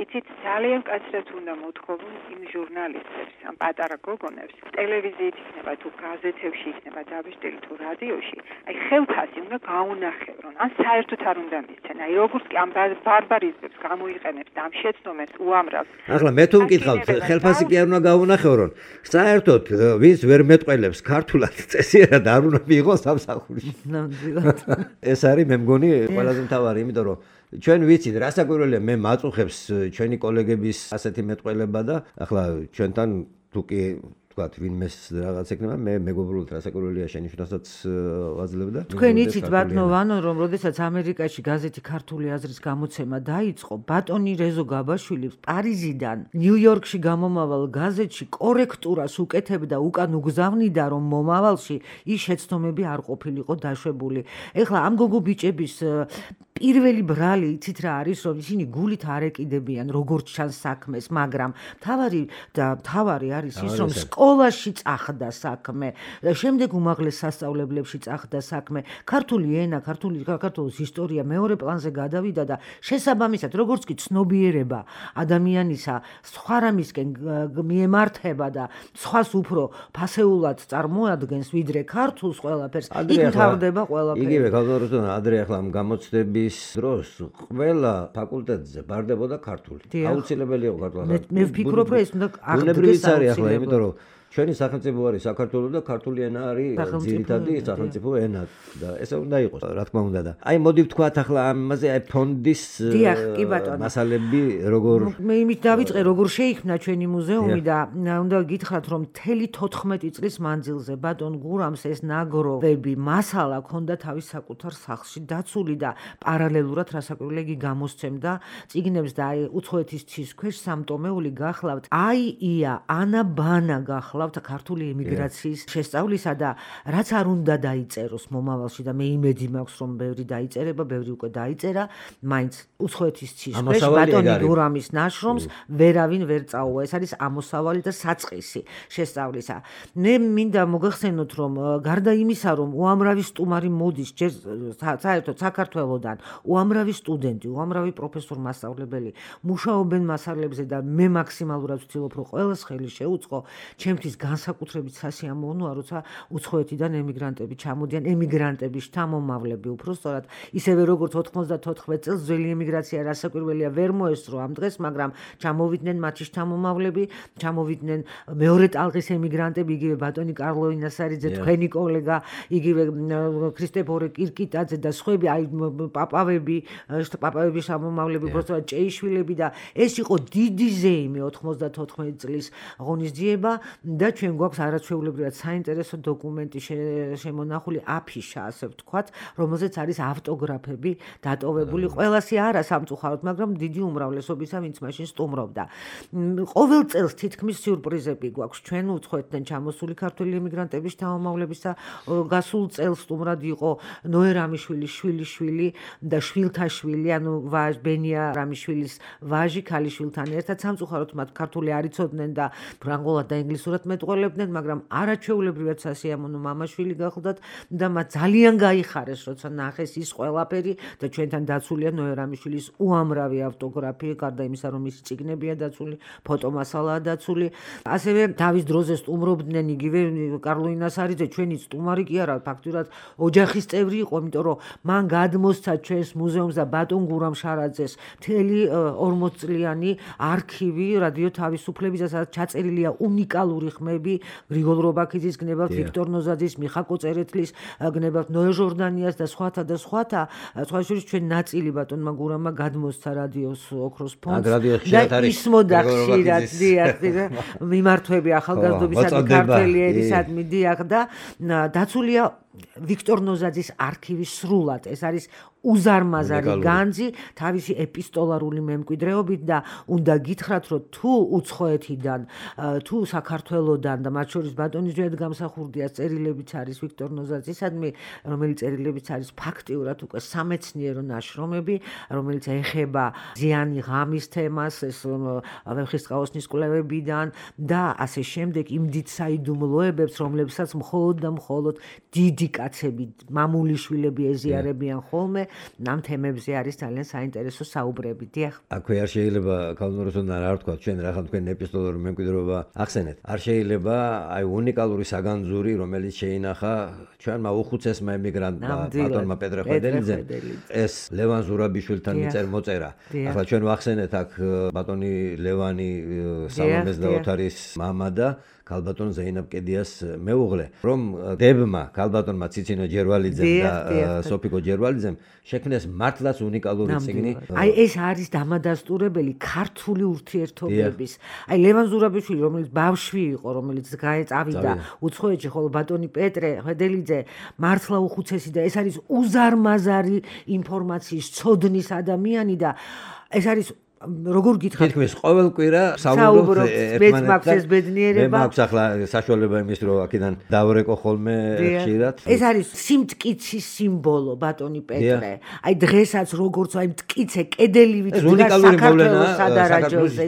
იცით ძალიან კაცრად უნდა მოთხოვო იმ ჟურნალისტებს, ამ პატარა გოგონებს, ტელევიზიით იქნება თუ გაზეთებში იქნება დაბეჭდილი თუ რადიოში, აი ხელფასი უნდა გაუნახევრონ. ან საერთოდ არ უნდა მისცენ. აი როგორც კი ამ ბარბარიზმებს გამოიყენებს და ამ შეცდომებს უამრავს. ახლა მე თუ მკითხავთ, ხელფასი კი არ უნდა გაუნახევრონ. საერთოდ ვინც ვერ მეტყველებს ქართულად წესიერად არ უნდა მიიღოს სამსახურში. ნამდვილად. ეს არის მე მგონი ყველაზე მთავარი, იმიტომ რომ ჩვენ ვიცით, რასაკვირველია მე მაწუხებს ჩვენი კოლეგების ასეთი მეტყველება და ახლა ჩვენთან თუ კი ვთქვათ, ვინმეს რაღაც ეკნება, მე მეგობრულად რასაკვირველია შენიშვნასაც ვაძლევდა. თქვენ იცით ბატონო ვანო, რომ როდესაც ამერიკაში გაზეთი ქართული აზრის გამოცემა დაიწყო, ბატონი რეზო გაბაშვილი პარიზიდან ნიუ-იორკში გამომავალ გაზეთში კორექტურას უკეთებდა, უკან უგზავნიდა, რომ მომავალში ის შეცდომები არ ყოფილიყო დაშვებული. ეხლა ამ გოგო ბიჭების პირველი ბრალი იცით რა არის, რომ ისინი გულით არ ეკიდებიან როგორც ჩანს საქმეს, მაგრამ თავარი არის ის, რომ სკოლაში წახდა საქმე, შემდეგ უმაღლეს სასწავლებლებში წახდა საქმე, ქართული ენა, საქართველოს ისტორია მეორე პლანზე გადავიდა და შესაბამისად, როგორც კი ცნობიერება ადამიანისა სხვა რამისკენ მიემართება და სხვას უფრო ფასეულად წარმოადგენს, ვიდრე ქართულს ყველაფერს, იქ მთავრდება ყველაფერი. იგივე გალოროსთან ადრე ახლა ამ გამოცდების დროს ყველა ფაკულტეტზე ბარდებოდა ქართული. აუცილებელი იყო ქართული. მე ვფიქრობ, რომ ეს უნდა აღდგეს ახლა, იმიტომ რომ ჩვენი სახელმწიფო არის საქართველო და ქართული ენა არის ძირითადი სახელმწიფო ენა და ესე უნდა იყოს, რა თქმა უნდა და. აი მოდი ვთქვათ ახლა ამაზე აი ფონდის მასალები როგორ მე იმით დავიწყე როგორ შეიქმნა ჩვენი მუზეუმი და უნდა გითხრათ რომ მთელი 14 წლის მანძილზე ბატონ გურამს ეს ნაგროვები მასალა ქონდა თავის საკუთარ სახლში დაცული და პარალელურად რასაკვირველია იგი გამოსცემდა წიგნებს და აი უცხოეთის ცის ქვეშ სამტომეული გახლავთ ია ანა ბანა გახლავთ ქართული ემიგრაციის შესწავლისა და რაც არ უნდა დაიწეროს მომავალში და მე იმედი მაქვს რომ ბევრი დაიწერება, ბევრი უკვე დაიწერა, მაინც უცხოეთის ცის ქვეშ ბატონი გურამის ნაშრომს ვერავინ ვერ წაუვა. ეს არის ამოსავალი და საწყისი შესწავლისა. მე მინდა მოგახსენოთ რომ გარდა იმისა რომ უამრავი სტუმარი მოდის საერთოდ საქართველოდან, უამრავი სტუდენტი, უამრავი პროფესორი მასწავლებელი მუშაობენ მასალებზე და მე მაქსიმალურად ვცდილობ რომ ყველას ხელი შეუწყო, ჩემთვის განსაკუთრებით სასიამოვნოა, როცა უცხოეთიდან ემიგრანტები ჩამოდიან, ემიგრანტები შთამომავლები უბრალოდ ისევე როგორც 94 წელს ძველი ემიგრაცია რასაკვირველია ვერ მოესწრო ამ დღეს, მაგრამ ჩამოვიდნენ მათი შთამომავლები, ჩამოვიდნენ მეორე ტალღის ემიგრანტები, იგივე ბატონი კარლო ინასარიძე, თქვენი კოლეგა, იგივე ქრისტეფორე კირკიტაძე და სხვები, აი პაპავები შთამომავლები, უბრალოდ ჭეიშვილები და ეს იყო დიდი ზეიმი 94 წლის ღონისძიება და და ჩვენ გვაქვს არაჩვეულებრივად საინტერესო დოკუმენტი შემონახული აფიშა, ასე ვთქვათ, რომელზეც არის ავტოგრაფები დატოვებული. ყველასი არა სამწუხაროდ, მაგრამ დიდი უმრავლესობისა, ვინც მაშინ სტუმრობდა. ყოველ წელს თითქმის სიურპრიზები გვაქვს. ჩვენ უცხოეთიდან ჩამოსული ქართველი ემიგრანტების შთამომავლებისა გასულ წელს სტუმრად იყო ნოე რამიშვილის შვილიშვილი და შვილთა შვილი, ანუ ბენია რამიშვილის ვაჟი ქალიშვილთან ერთად. სამწუხაროდ მათ ქართული არ იცოდნენ და ფრანგულად და ინგლისურად მეტყველებდნენ, მაგრამ არაჩვეულებრივად სასიამოვნო მამაშვილი გახლდათ და მათ ძალიან გაიხარეს, როცა ნახეს ის ყველაფერი და ჩვენთან დაცულია ნოე რამიშვილის უამრავი ავტოგრაფი, გარდა იმისა, რომ მისი წიგნებია დაცული, ფოტომასალაა დაცული. ასევე თავის დროზე სტუმრობდნენ იგივე კარლო ინასარიძე, ჩვენი სტუმარი კი არა, ფაქტურად ოჯახის წევრი იყო, იმიტომ რომ მან გადმოსცა ჩვენს მუზეუმს და ბატონ გურამ შარაძეს მთელი 40 წლიანი არქივი რადიო თავისუფლებისა, სადაც ჩაწერილია უნიკალური ხმები, გრიგოლ რობაქიძის გნებავთ, ვიქტორ ნოზაძის, მიხა კოწერეთლის გნებავთ, ნოე ჟორდანიას და სხვათა და სხვათა. სხვა შორის ჩვენ ნაწილი ბატონმა გურამმა გადმოსცა რადიოს ოქროს ფონდს და ისმოდა ხშირად მიმართვები ახალგაზრდობისადმი ქართველი ერისადმი დიახ და დაცულია ვიქტორ ნოზაძის არქივი სრულად. ეს არის უზარმაზარი განძი თავისი ეპისტოლარული მემკვიდრეობით და უნდა გითხრათ, რომ თუ უცხოეთიდან, თუ საქართველოდან და მათ შორის ბატონის ძვიად გამსახურდია წერილებიც არის ვიქტორ ნოზაძისადმი, რომელიც წერილებიც არის ფაქტიურად უკვე სამეცნიერო ნაშრომები, რომელიც ეხება ზიანი ღამის თემას, ეს ვეფხისტყაოსნის კვლევებიდან და ასე შემდეგ იმ დიდ საიდუმლოებებს, რომლებსაც მხოლოდ და მხოლოდ დიდი კაცები, მამული შვილები ეზიარებიან ხოლმე. ამ თემებზე არის ძალიან საინტერესო საუბრები. დიახ. აქვე არ შეიძლება კალნუროსთან არ ვთქვა, ჩვენ რახან თქვენ ეპისტოლარული მემკვიდრეობა ახსენეთ. არ შეიძლება აი უნიკალური საგანძური, რომელიც შეინახა ჩვენმა უხუცესმა ემიგრანტმა ბატონმა პეტრე ხვედელიძემ. ეს ლევან ზურაბიშვილთან მიწერ მოწერა. ახლა ჩვენ ვახსენეთ აქ ბატონი ლევანი სალომეს და ოთარის მამა და ქალბატონ ზეინაბ კედიას მეუღლე, რომ დებმა ქალბატონმა ციცინო ჯერვალიძემ და სოფიკო ჯერვალიძემ შექმნეს მართლაც უნიკალური წიგნი. აი ეს არის დამადასტურებელი ქართული ურთიერთობების. აი ლევან ზურაბიშვილი, რომელიც ბავშვი იყო, რომელიც წავიდა უცხოეთში, ხოლო ბატონი პეტრე ხვედელიძე მართლა უხუცესი და ეს არის უზარმაზარი ინფორმაციის ცოდნის ადამიანი და ეს არის როგორ გითხრათ? თითქმის ყოველ კვირა საუბრობთ ერთმანეთთან. ეს ბედნიერება. მე მაქვს ახლა საშუალება იმის, რომ აქედან დავრეკო ხოლმე ხშირად. ეს არის სიმტკიცის სიმბოლო ბატონი პეტრე. აი დღესაც როგორც აი მტკიცე კედელივით საქართველოს სადარაჯოზე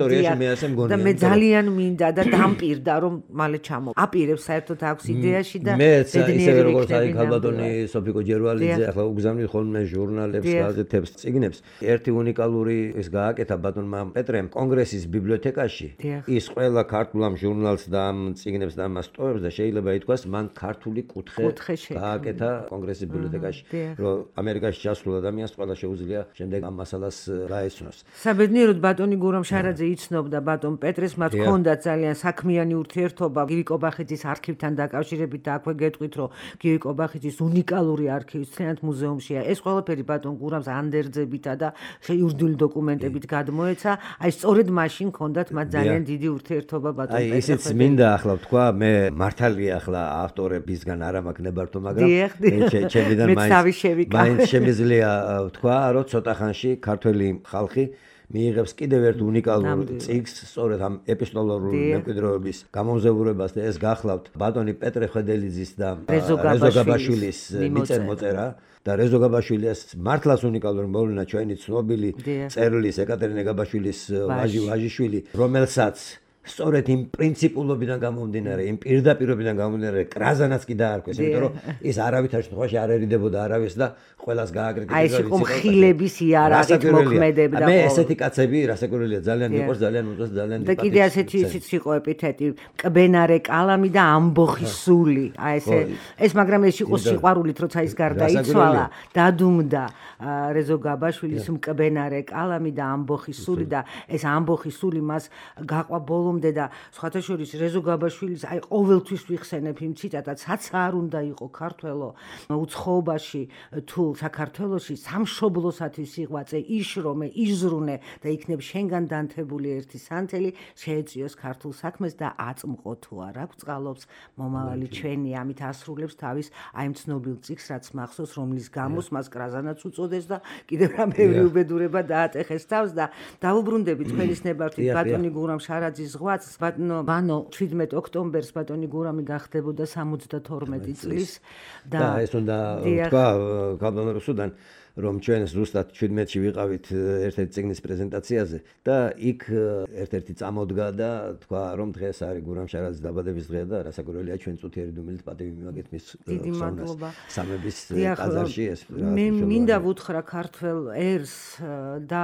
და მე ძალიან მინდა და დამპირდა რომ მალე ჩამო. აპირებს საერთოდ აქვს იდეაში და ბედნიერი როგორც აი ქალბატონი სოფიკო ჯერვალიძე ახლა უგზავნით ხოლმე ჟურნალებს, გაზეთებს, წიგნებს. ერთი უნიკალური ეს გააკეთა ბატონმა პეტრემ კონგრესის ბიბლიოთეკაში ის ყველა ქართულ ამ ჟურნალს და ამ წიგნებს და ამას ტოვებს და შეიძლება ითქვას მან ქართული კუთხე გააკეთა კონგრესის ბიბლიოთეკაში, რომ ამერიკაში ჩასულ ადამიანს ყველა შეუძლია შემდეგ ამ მასალას გაეცნოს. საბედნიეროდ ბატონი გურამ შარაძე იცნობდა ბატონ პეტრეს, მათ ჰქონდათ ძალიან საქმიანი ურთიერთობა გივი კობახიძის არქივთან დაკავშირებით და აქვე გეტყვით, რომ გივი კობახიძის უნიკალური არქივი მთლიანად მუზეუმშია. ეს ყველაფერი ბატონ გურამს ანდერძებითა და იურიდიული დოკუმენტებით მოეცა, აი სწორედ მაშინ ჰქონდათ მათ ძალიან დიდი ურთიერთობა ბატონ პეტრე. აი ისიც მინდა ახლა ვთქვა, მე მართალია ახლა ავტორებისგან არ მაქვს ნებართვა, მაგრამ ჩემიდან მაინც შემიძლია ვთქვა, რომ ცოტა ხანში ქართველი ხალხი მიიღებს კიდევ ერთ უნიკალურ წიგნს, სწორედ ამ ეპისტოლარული მემკვიდრეობის გამომზევრებას და ეს გახლავთ ბატონი პეტრე ხვედელიძის და რეზო გაბაშვილის მიწერ მოწერა. და რეზო გაბაშვილის მართლაც უნიკალური მოვლენა ჩვენი ცნობილი წერლის ეკატერინე გაბაშვილის ვაჟიშვილი, რომელსაც სწორედ იმ პრინციპულობიდან გამომდინარე, იმ პირდაპირობიდან გამომდინარე, კრაზანაც კი დაარქვეს, იმიტომ რომ ის არავითარ შემთხვევაში არ ერიდებოდა არავის და ყველას გააკრიტიკებდა. აი ეს იყო მხილების იარაღით მოქმედებდა. მე ესეთი კაცები რასაკვირველია, ძალიან მიყვარს, ძალიან უწევს, ძალიან და კიდე ასეთი ისიც იყო ეპითეტი, კბენარე კალამი და ამბოხის სული. აი ეს მაგრამ ეს იყო სიყვარულით, როცა ის გარდაიცვალა, დადუმდა რეზო გაბაშვილის მკბენარე კალამი და ამბოხის სული და ეს ამბოხის სული მას გაყვა ბოლო მოვხმდე და სხვათა შორის რეზო გაბაშვილის აი ყოველთვის ვიხსენებ იმ ციტატად, რაც არ უნდა იყო ქართველო უცხოობაში თუ საქართველოში სამშობლოსათვის იღვაწე, იშრომე, იზრუნე და იქნებ შენგან დანთებული ერთი სანთელი, შეეწიოს ქართულ საქმეს და აწმყო თუ არ აქვს წყალობს მომავალი ჩვენი. ამით ასრულებს თავის აი ამ ცნობილ წიგნს, რაც მახსოვს, რომლის გამოს მას კრაზანაც უწოდეს და კიდევ რა ბევრი უბედურება დაატეხეს თავს და დავუბრუნდებით ყველის ნებართვით ბატონი გურამ შარაძის ზღვაც. ბატონო ვანო 17 ოქტომბერს ბატონი გურამი გახდებოდა 72 წლის და ეს უნდა თქვა კაბანო რუსუდან რომ ჩვენ ზუსტად 17-ში ვიყავით ერთ-ერთი წიგნის პრეზენტაციაზე და იქ ერთ-ერთი წამოდგა და თქვა რომ დღეს არის გურამ შარაძის დაბადების დღე და რასაკვირველია ჩვენ წუთიერი დუმილით პატივი მივაგეთ მის სამების ტაძარში ეს მე მინდა ვუთხრა ქართველ ერს და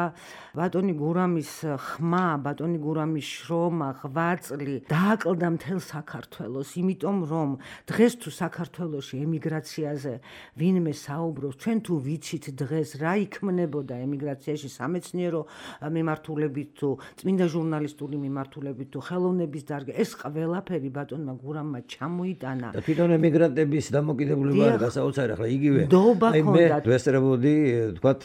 ბატონი გურამის ხმა, ბატონი გურამის შრომა, ღვაწლი დააკლდა მთელ საქართველოს, იმიტომ რომ დღეს თუ საქართველოში ემიგრაციაზე ვინმე საუბრობს, ჩვენ თუ ვიცით დღეს რა იქმნებოდა ემიგრაციაში სამეცნიერო მიმართულებით თუ წმინდა ჟურნალისტური მიმართულებით თუ ხელოვნების დარგი, ეს ყველაფერი ბატონმა გურამმა ჩამოიტანა. და თვითონ ემიგრანტების დამოკიდებულება არის გასაოცარი, ახლა იგივე. მე ვესწრებოდი, თქვათ,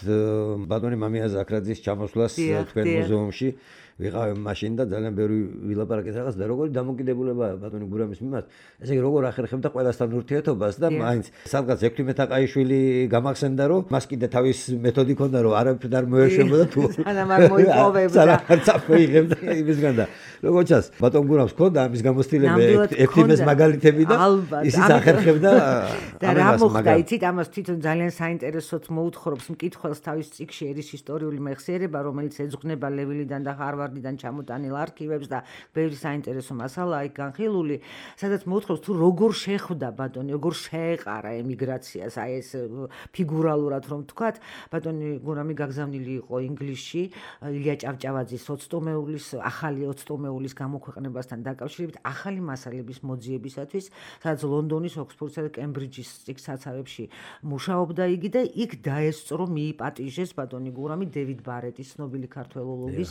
ბატონი მამია ზაქრაძის ჩამოსვლას თქვენ მუზეუმში. ვიყავ მაშინ და ძალიან ბევრი ვილაპარაკეთ რაღაც და როგორი დამოკიდებულებაა ბატონი გურამის მიმართ. ესე იგი როგორ ახერხებდა ყველასთან ურთიერთობას და მაინც სადღაც ექვთიმე თაყაიშვილი გამახსენდა რომ მას კიდე თავის მეთოდი ჰქონდა რომ არაფერ არ მოეშვებოდა თუ სანამ არ მოიპოვებდა. წაფეიღებდა იმისგან და როგორც ჩანს ბატონ გურამს ჰქონდა ამის გამოცდილება ექვთიმეს მაგალითები და ისიც ახერხებდა და რა მოხდა იცით ამას თვითონ ძალიან საინტერესოდ მოუთხრობს მკითხველს თავის წიგნში ერის ისტორიული მეხსიერება რომელიც ეძღვნება ლევილიდან და ჰარვარდიდან ჩამოტანილ არქივებს და ბევრი საინტერესო მასალაა იქ განხილული, სადაც მოუთხრობს თუ როგორ შეხვდა ბატონი, როგორ შეეყარა ემიგრაციას, აი ეს ფიგურალურად რომ ვთქვათ, ბატონი გურამი გაგზავნილი იყო ინგლისში, ილია ჭავჭავაძის 20-მეულის, ახალი 20-მეულის გამოქვეყნებასთან დაკავშირებით ახალი მასალების მოძიებისათვის, სადაც ლონდონის, ოქსფორდსა და კემბრიჯის წიგნსაცავებში მუშაობდა იგი და იქ დაესწრო, მიიპატიჟეს ბატონი გურამი დევიდ ბარეტის ცნობილი ქართველოლოგის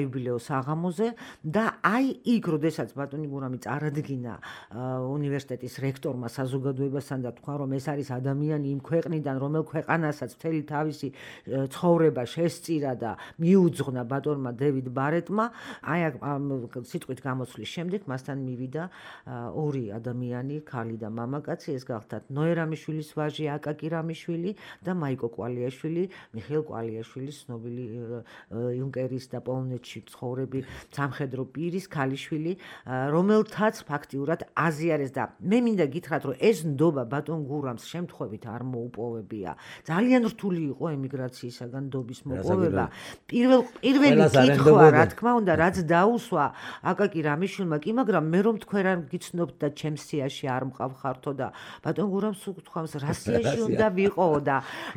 საიუბილეო საღამოზე და აი იქ როდესაც ბატონი გურამი წარადგინა უნივერსიტეტის რექტორმა საზოგადოებასთან და თქვა რომ ეს არის ადამიანი იმ ქვეყნიდან რომელ ქვეყანასაც მთელი თავისი ცხოვრება შესწირა და მიუძღვნა ბატონმა დევიდ ბარეტმა აი სიტყვით გამოცვლის შემდეგ მასთან მივიდა ორი ადამიანი ქალი და მამაკაცი ეს გახდათ ნოერამიშვილის ვაჟი აკაკი რამიშვილი და მაიკო კვალიაშვილი მიხეილ კვალიაშვილის ცნობილი იუნკერის და პოლონეთში ცხოვრები სამხედრო პირის ქალიშვილი რომელთაც ფაქტიურად აზიარეს და მე მინდა გითხრათ რომ ეს ნდობა ბატონ გურამს შემთხვევით არ მოუპოვებია ძალიან რთული იყო ემიგრაციისაგან ნდობის მოპოვება პირველი კითხვა რა თქმა უნდა რაც დაუსვა აკაკი რამიშვილმა კი მაგრამ მე რომ თქვენ არ გიცნობთ და ჩემს სიაში არ მყავხართო და ბატონ გურამს უთხავს რა სიაში უნდა ვიყო და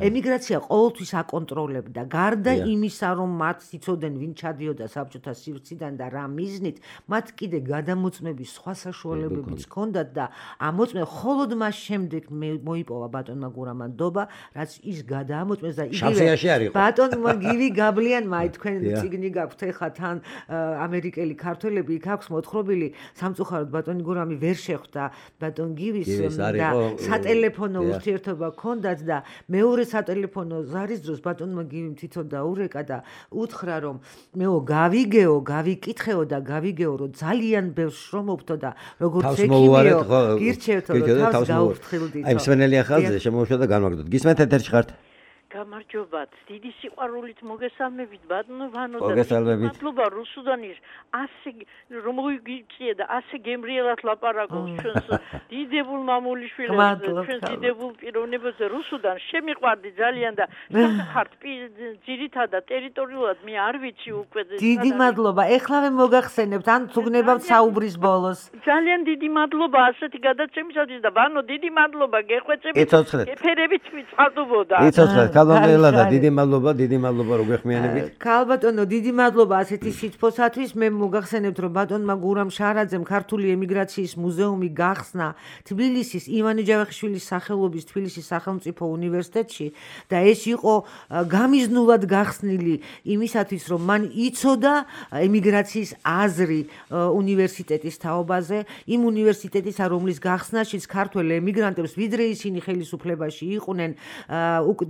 ემიგრაცია ყოველთვის აკონტროლებდა გარდა იმისა რომ მათ იცოდნენ ვინ ჩადიოდა საბჭოთა სივრციდან და რა მიზნით მათ კიდე გადამოწმების სხვა საშუალებებიც ჰქონდათ და ამოწმე ხოლოდ მას შემდეგ მოიპოვა ბატონმა გურამმა ნდობა რაც ის გადაამოწმეს და იგივე ბატონმა გივი გაბლიანმა აი თქვენ წიგნი გაქვთ ეხლა თან ამერიკელი ქართველები იქ აქვს მოთხრობილი სამწუხაროდ ბატონი გურამი ვერ შეხვდა ბატონ გივის და სატელეფონო ურთიერთობა ჰქონდათ და მეორე სატელეფონო ზარის დროს ბატონმა გივიმ თვითონ დაურეკა და უთხრა რომ მეო გავიგეო, გავიკითხეო და გავიგეო რომ ძალიან ბევრს შრომობთო და როგორც ექიმიო გირჩევთო და თავს გაუფრთხილდითო. აი მსმენელი ახალზე შემოვშვა და განვაგდოთ. გისმენთ ეთერში ხართ? გამარჯობათ. დიდი სიყვარულით მოგესალმებით ბატონო ვანო და მადლობა რუსუდანის ასე რომ მოიგიწია და ასე გემრიელად ლაპარაკობს ჩვენს დიდებულ მამულიშვილებს ჩვენს დიდებულ პიროვნებებს რუსუდან შემიყვარდი ძალიან და ხართ ძირითადად ტერიტორიულად მე არ ვიცი უკვე დიდი მადლობა ეხლავე მოგახსენებთ ან თუგნებავთ საუბრის ბოლოს ძალიან დიდი მადლობა ასეთი გადაცემისათვის და ბანო დიდი მადლობა გეხვეწებით იცოცხლეთ ეფერებით ვიწყალდობოდა იცოცხლეთ ქალბატონო და დიდი მადლობა რო გეხმიანებით. ქალბატონო, დიდი მადლობა ასეთი სიტყვისათვის. მე მოგახსენებთ, რომ ბატონმა გურამ შარაძემ ქართული ემიგრაციის მუზეუმი გახსნა თბილისის ივანე ჯავახიშვილის სახელობის თბილისის სახელმწიფო უნივერსიტეტში და ეს იყო გამიზნულად გახსნილი იმისათვის, რომ მან იცოდა ემიგრაციის აზრი უნივერსიტეტის თაობაზე, იმ უნივერსიტეტისა, რომლის გახსნაშიც ქართველ ემიგრანტებს ვიდრე ისინი ხელისუფლებაში იყვნენ,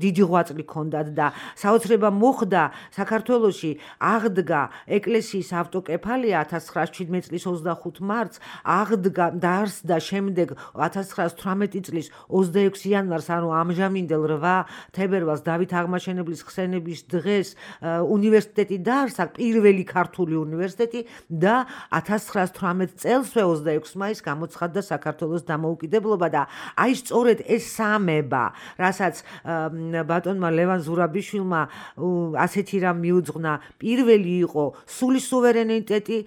დიდი ღვაწლი ჰქონდათ და საოცრება მოხდა საქართველოში აღდგა ეკლესიის ავტოკეფალია 1917 წლის 25 მარტს, აღდგა დაარსდა შემდეგ 1918 წლის 26 იანვარს, ანუ ამჟამინდელ 8 თებერვალს დავით აღმაშენებლის ხსენების დღეს უნივერსიტეტი დაარსა, პირველი ქართული უნივერსიტეტი და 1918 წელსვე 26 მაისს გამოცხადდა საქართველოს დამოუკიდებლობა და აი სწორედ ეს სამება, რასაც ბატონმა ლევან ზურაბიშვილმა ასეთი რამ მიუძღვნა, პირველი იყო სული სუვერენიტეტი,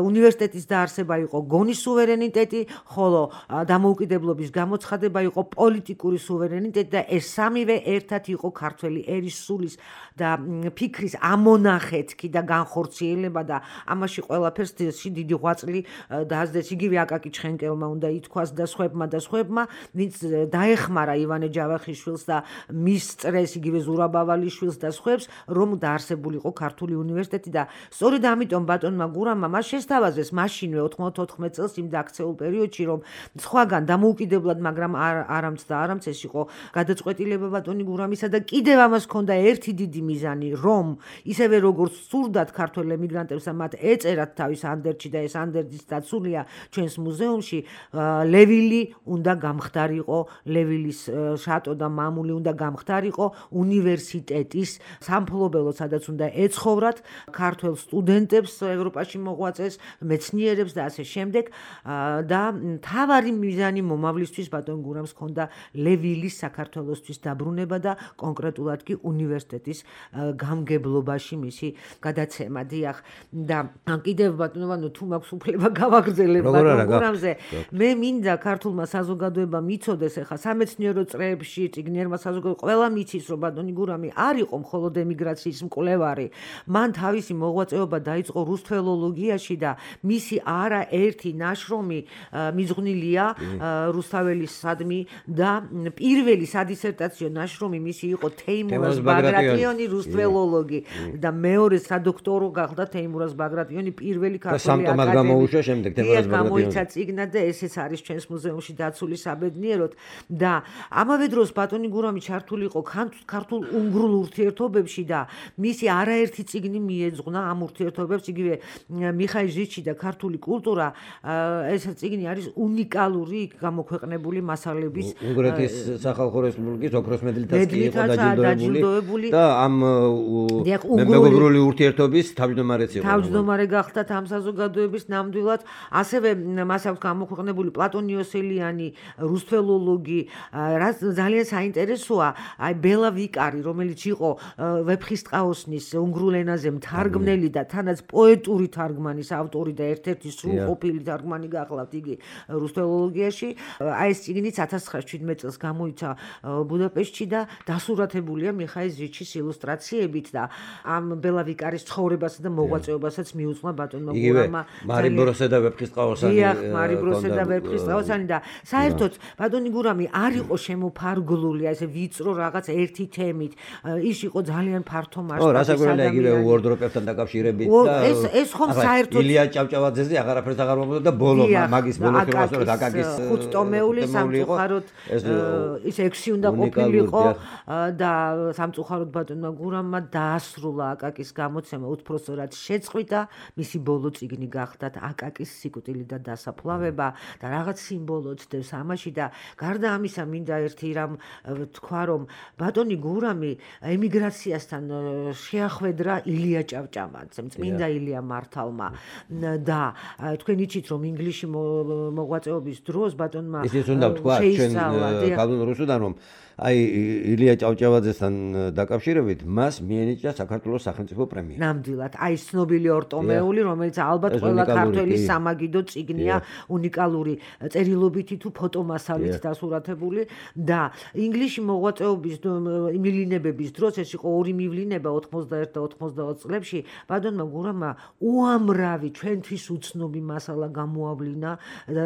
უნივერსიტეტის დაარსება იყო გონის სუვერენიტეტი, ხოლო დამოუკიდებლობის გამოცხადება იყო პოლიტიკური სუვერენიტეტი და ეს სამივე ერთად იყო ქართველი ერის სულის და ფიქრის ამონახეთქი და განხორციელება და ამაში ყველაფერს დიდი ღვაწლი დაასდეს იგივე აკაკი ჩხენკელმა უნდა ითქვას და სხვებმა, ვინც დაეხმარა ივანე ჯავახიშვილს და მის წრეს იგივე ზურაბ ავალიშვილს და სხვებს, რომ დაარსებულიყო ქართული უნივერსიტეტი და სწორედ ამიტომ ბატონმა გურამმა მას შესთავაზეს მაშინვე 94 წელს იმ დაქცეულ პერიოდში, რომ სხვაგან დამოუკიდებლად, მაგრამ არამც ეს იყო გადაწყვეტილება ბატონი გურამისა და კიდევ ამას ჰქონდა ერთი დიდი მიზანი, რომ ისევე როგორც სურდათ ქართველ ემიგრანტებს და მათ ეწერათ თავის ანდერძში და ეს ანდერძიც დაცულია ჩვენს მუზეუმში, ლევილი უნდა გამხდარიყო, ლევილის შატო და მამული უნდა გამხდარიყო უნივერსიტეტის სამფლობელო, სადაც უნდა ეცხოვრათ ქართველ სტუდენტებს, ევროპაში მოღვაწეს მეცნიერებს და ასე შემდეგ და მთავარი მიზანი მომავლისთვის ბატონ გურამს ჰქონდა ლევილის საქართველოსთვის დაბრუნება და კონკრეტულად კი უნივერსიტეტის გამგებლობაში მისი გადაცემა. დიახ, და კიდევ ბატონო, თუ მაქვს უფლება გავაგრძელებ ბატონ გურამზე, მე მინდა ქართულმა საზოგადოებამ იცოდეს, ახლა სამეცნიერო წრეებში, წიგნიერმა საზოგადოებამ ყველამ იცის, რომ ბატონი გურამი არ იყო მხოლოდ ემიგრაციის მკვლევარი. მან თავისი მოღვაწეობა დაიწყო რუსთველოლოგიაში და მისი არაერთი ნაშრომი მიძღვნილია რუსთაველისადმი და პირველი სადისერტაციო ნაშრომი მისი იყო თეიმურაზ ბაგრატიონი რუსთველოლოგი და მეორე სადოქტორო გახდა თეიმურაზ ბაგრატიონი პირველი ქართული აკადემიკოსი. გამოუშვა შემდეგ თეიმურაზ ბაგრატიონი. გამოიცა წიგნად და ესეც არის ჩვენს მუზეუმში დაცული საბედნიეროდ და ამავე დროს ბატონი გურამი ჩართული იყო ქართულ-უნგრულ ურთიერთობებში და მისი არაერთი წიგნი მიეძღვნა ამ ურთიერთობებს, იგივე მიხაილ ჟიჩი და ქართული კულტურა, ეს წიგნი არის უნიკალური გამოქვეყნებული მასალების უნგრეთის სახალხო რესპუბლიკის ოქროს მედლითაც კი იყო დაჯილდოებული და ამ მეგობრული ურთიერთობის თავმჯდომარეც იყო. თავმჯდომარე გახდა ამ საზოგადოების ნამდვილად, ასევე მას აქვს გამოქვეყნებული პლატონ იოსელიანი, რუსთველოლოგი, რაც ძალიან საინტერესოა, აი ბელა ვიკარი, რომელიც იყო ვეფხისტყაოსნის უნგრულ ენაზე მთარგმნელი და თანაც პოეტური თარგმანის ავტორი და ერთ-ერთი სრულყოფილი თარგმანი გახლავთ იგი რუსთველოლოგიაში. აი ეს წიგნიც 1917 წელს გამოიცა ბუდაპეშტში და დასურათებულია მიხაილ ჟიჩის ილუსტრაციებით და ამ ბელა ვიკარის ცხოვრებასა და მოღვაწეობასაც მიუძღვნა ბატონმა გურამმა. მარიბროსე და ვეფხისტყაოსანი. დიახ, მარიბროსე და ვეფხისტყაოსანი და საერთოდ ბატონი გურამი არ იყო შემოფარგლული ესე ვიწრო რაღაც ერთი თემით. ის იყო ძალიან ფართო მასშტაბის. რასაკვირველია იგივე უორდროპებთან დაკავშირებით და ეს ხომ საერთოდ ილია ჭავჭავაძეზე აღარაფერს აღარ მომდოდა და ბოლო მაგის ბოლო ფილმასწორად აკაკის ხუთტომეული სამწუხაროდ ის 6 უნდა ყოფილიყო და სამწუხაროდ ბატონმა გურამმა დაასრულა აკაკის გამოცემა უცხროსად შეწყვიტა, მისი ბოლო წიგნი გახდათ აკაკის სიკვდილი და დასაფლავება და რაღაც სიმბოლო ცდებს ამაში და გარდა ამისა მინდა ერთი რამ თქვა, რომ ბატონი გურამი ემიგრაციასთან შეახვედრა ილია ჭავჭავაძემ, წმინდა ილია მართალმა და თქვენ იცით, რომ ინგლისში მოღვაწეობის დროს ბატონმა ისიც უნდა ვთქვა ჩვენ ქალ რუსუდან, რომ აი ილია ჭავჭავაძესთან დაკავშირებით მას მიენიჭა საქართველოს სახელმწიფო პრემია. ნამდვილად, აი ცნობილი ორტომეული, რომელიც ალბათ ყველა ქართველის სამაგიდო წიგნია, უნიკალური წერილობითი თუ ფოტომასალით დასურათებული და ინგლისში მოღვაწეობის მივლინებების დროს ეს იყო ორი მივლინება 91 და 92 წლებში ბატონმა გურამმა უამრავი ჩვენთვის უცნობი მასალა გამოავლინა და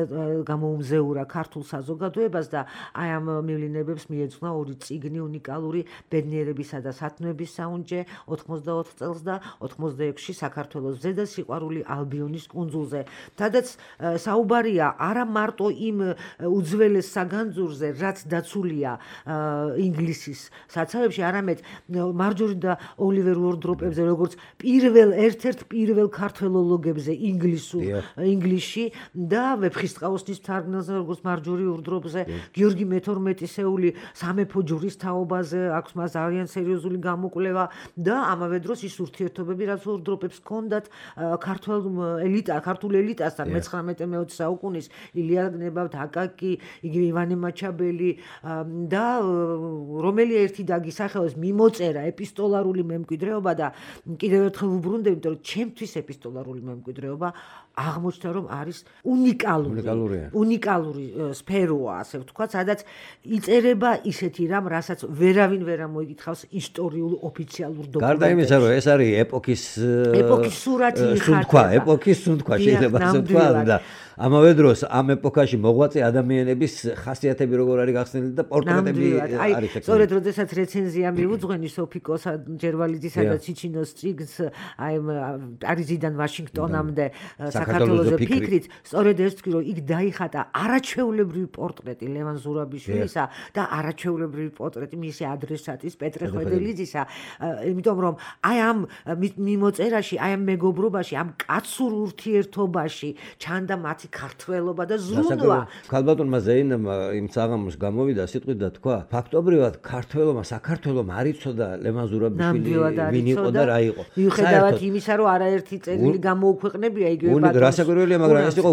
გამოუმზეურა ქართულ საზოგადოებას და აი ამ მივლინებებს მიეძღვნა ორი წიგნი უნიკალური ბედნიერებისა და სათნოების საუნჯე 94 წელს და 86-ში საქართველოს ზედა სიყვარული ალბიონის კუნძულზე. სადაც საუბარია არა მარტო იმ უძველეს საგანძურზე, რაც დაცულია ინგლისის საცავებში, არამედ მარჯორი და ოლივერ უორდროპებზე, როგორც ერთ-ერთ პირველ ქართველოლოგებზე ინგლისში და ვეფხისტყაოსნის მთარგმნელზე, როგორც მარჯორი უორდროპზე, გიორგი მე-12-ეული სამეფო ჯვრის თაობაზე აქვს მას ძალიან სერიოზული გამოკვლევა და ამავე დროს ის ურთიერთობები, რაც უორდროპებს ჰქონდათ ქართულ ელიტასთან 19-20 საუკუნის ილია გნებავთ, აკაკი, იგივე ივანე მაჩაბელი და რომელი ერთი დაგისახელოს მიმოწერა ეპისტოლარული მემკვიდრეობა და კიდევ ერთხელ ვუბრუნდები, იმიტომ რომ ჩემთვის ეპისტოლარული მემკვიდრეობა აღმოჩნდა რომ არის უნიკალური სფეროა, ასე ვთქვათ, სადაც იწერება ისეთი რამ, რასაც ვერავინ ვერ ამოიგითხავს ისტორიულ ოფიციალურ დოკუმენტებში. გარდა იმისა, რომ ეს არის ეპოქის სურათი ეპოქის სუნთქვა შეიძლება ასე ვთქვა და ამავე დროს ამ ეპოქაში მოღვაწე ადამიანების ხასიათები როგორ არის გახსნილი და პორტრეტები არის ეს. სწორედ როდესაც რეცენზია მიუძღვენი სოფიკოს ჯერვალიძისა და ჩიჩინოს წიგნს აი პარიზიდან ვაშინგტონამდე საქართველოს ფიქრით, სწორედ ეს თქვი, რომ იქ დაიხატა არაჩვეულებრივი პორტრეტი ლევან ზურაბიშვილისა და არაჩვეულებრივი პორტრეტი მისი ადრესატის პეტრე ხვედელიძისა, იმიტომ რომ აი ამ მიმოწერაში, აი ამ მეგობრობაში, ამ კაცურ ურთიერთობაში ჩანდა მათი ქართველობა და ზრუნვა. ქალბატონმა ზეინებმა იმ საღამოს გამოვიდა სიტყვით და თქვა, ფაქტობრივად ქართველობა, საქართველოს არ იცოდა ლევან ზურაბიშვილი ვინ იყო და რა იყო. მიუხედავად იმისა, რომ არაერთი წერილი გამოუქვეყნებია იგივე ბატონს. რასაკვირველია, მაგრამ ეს იყო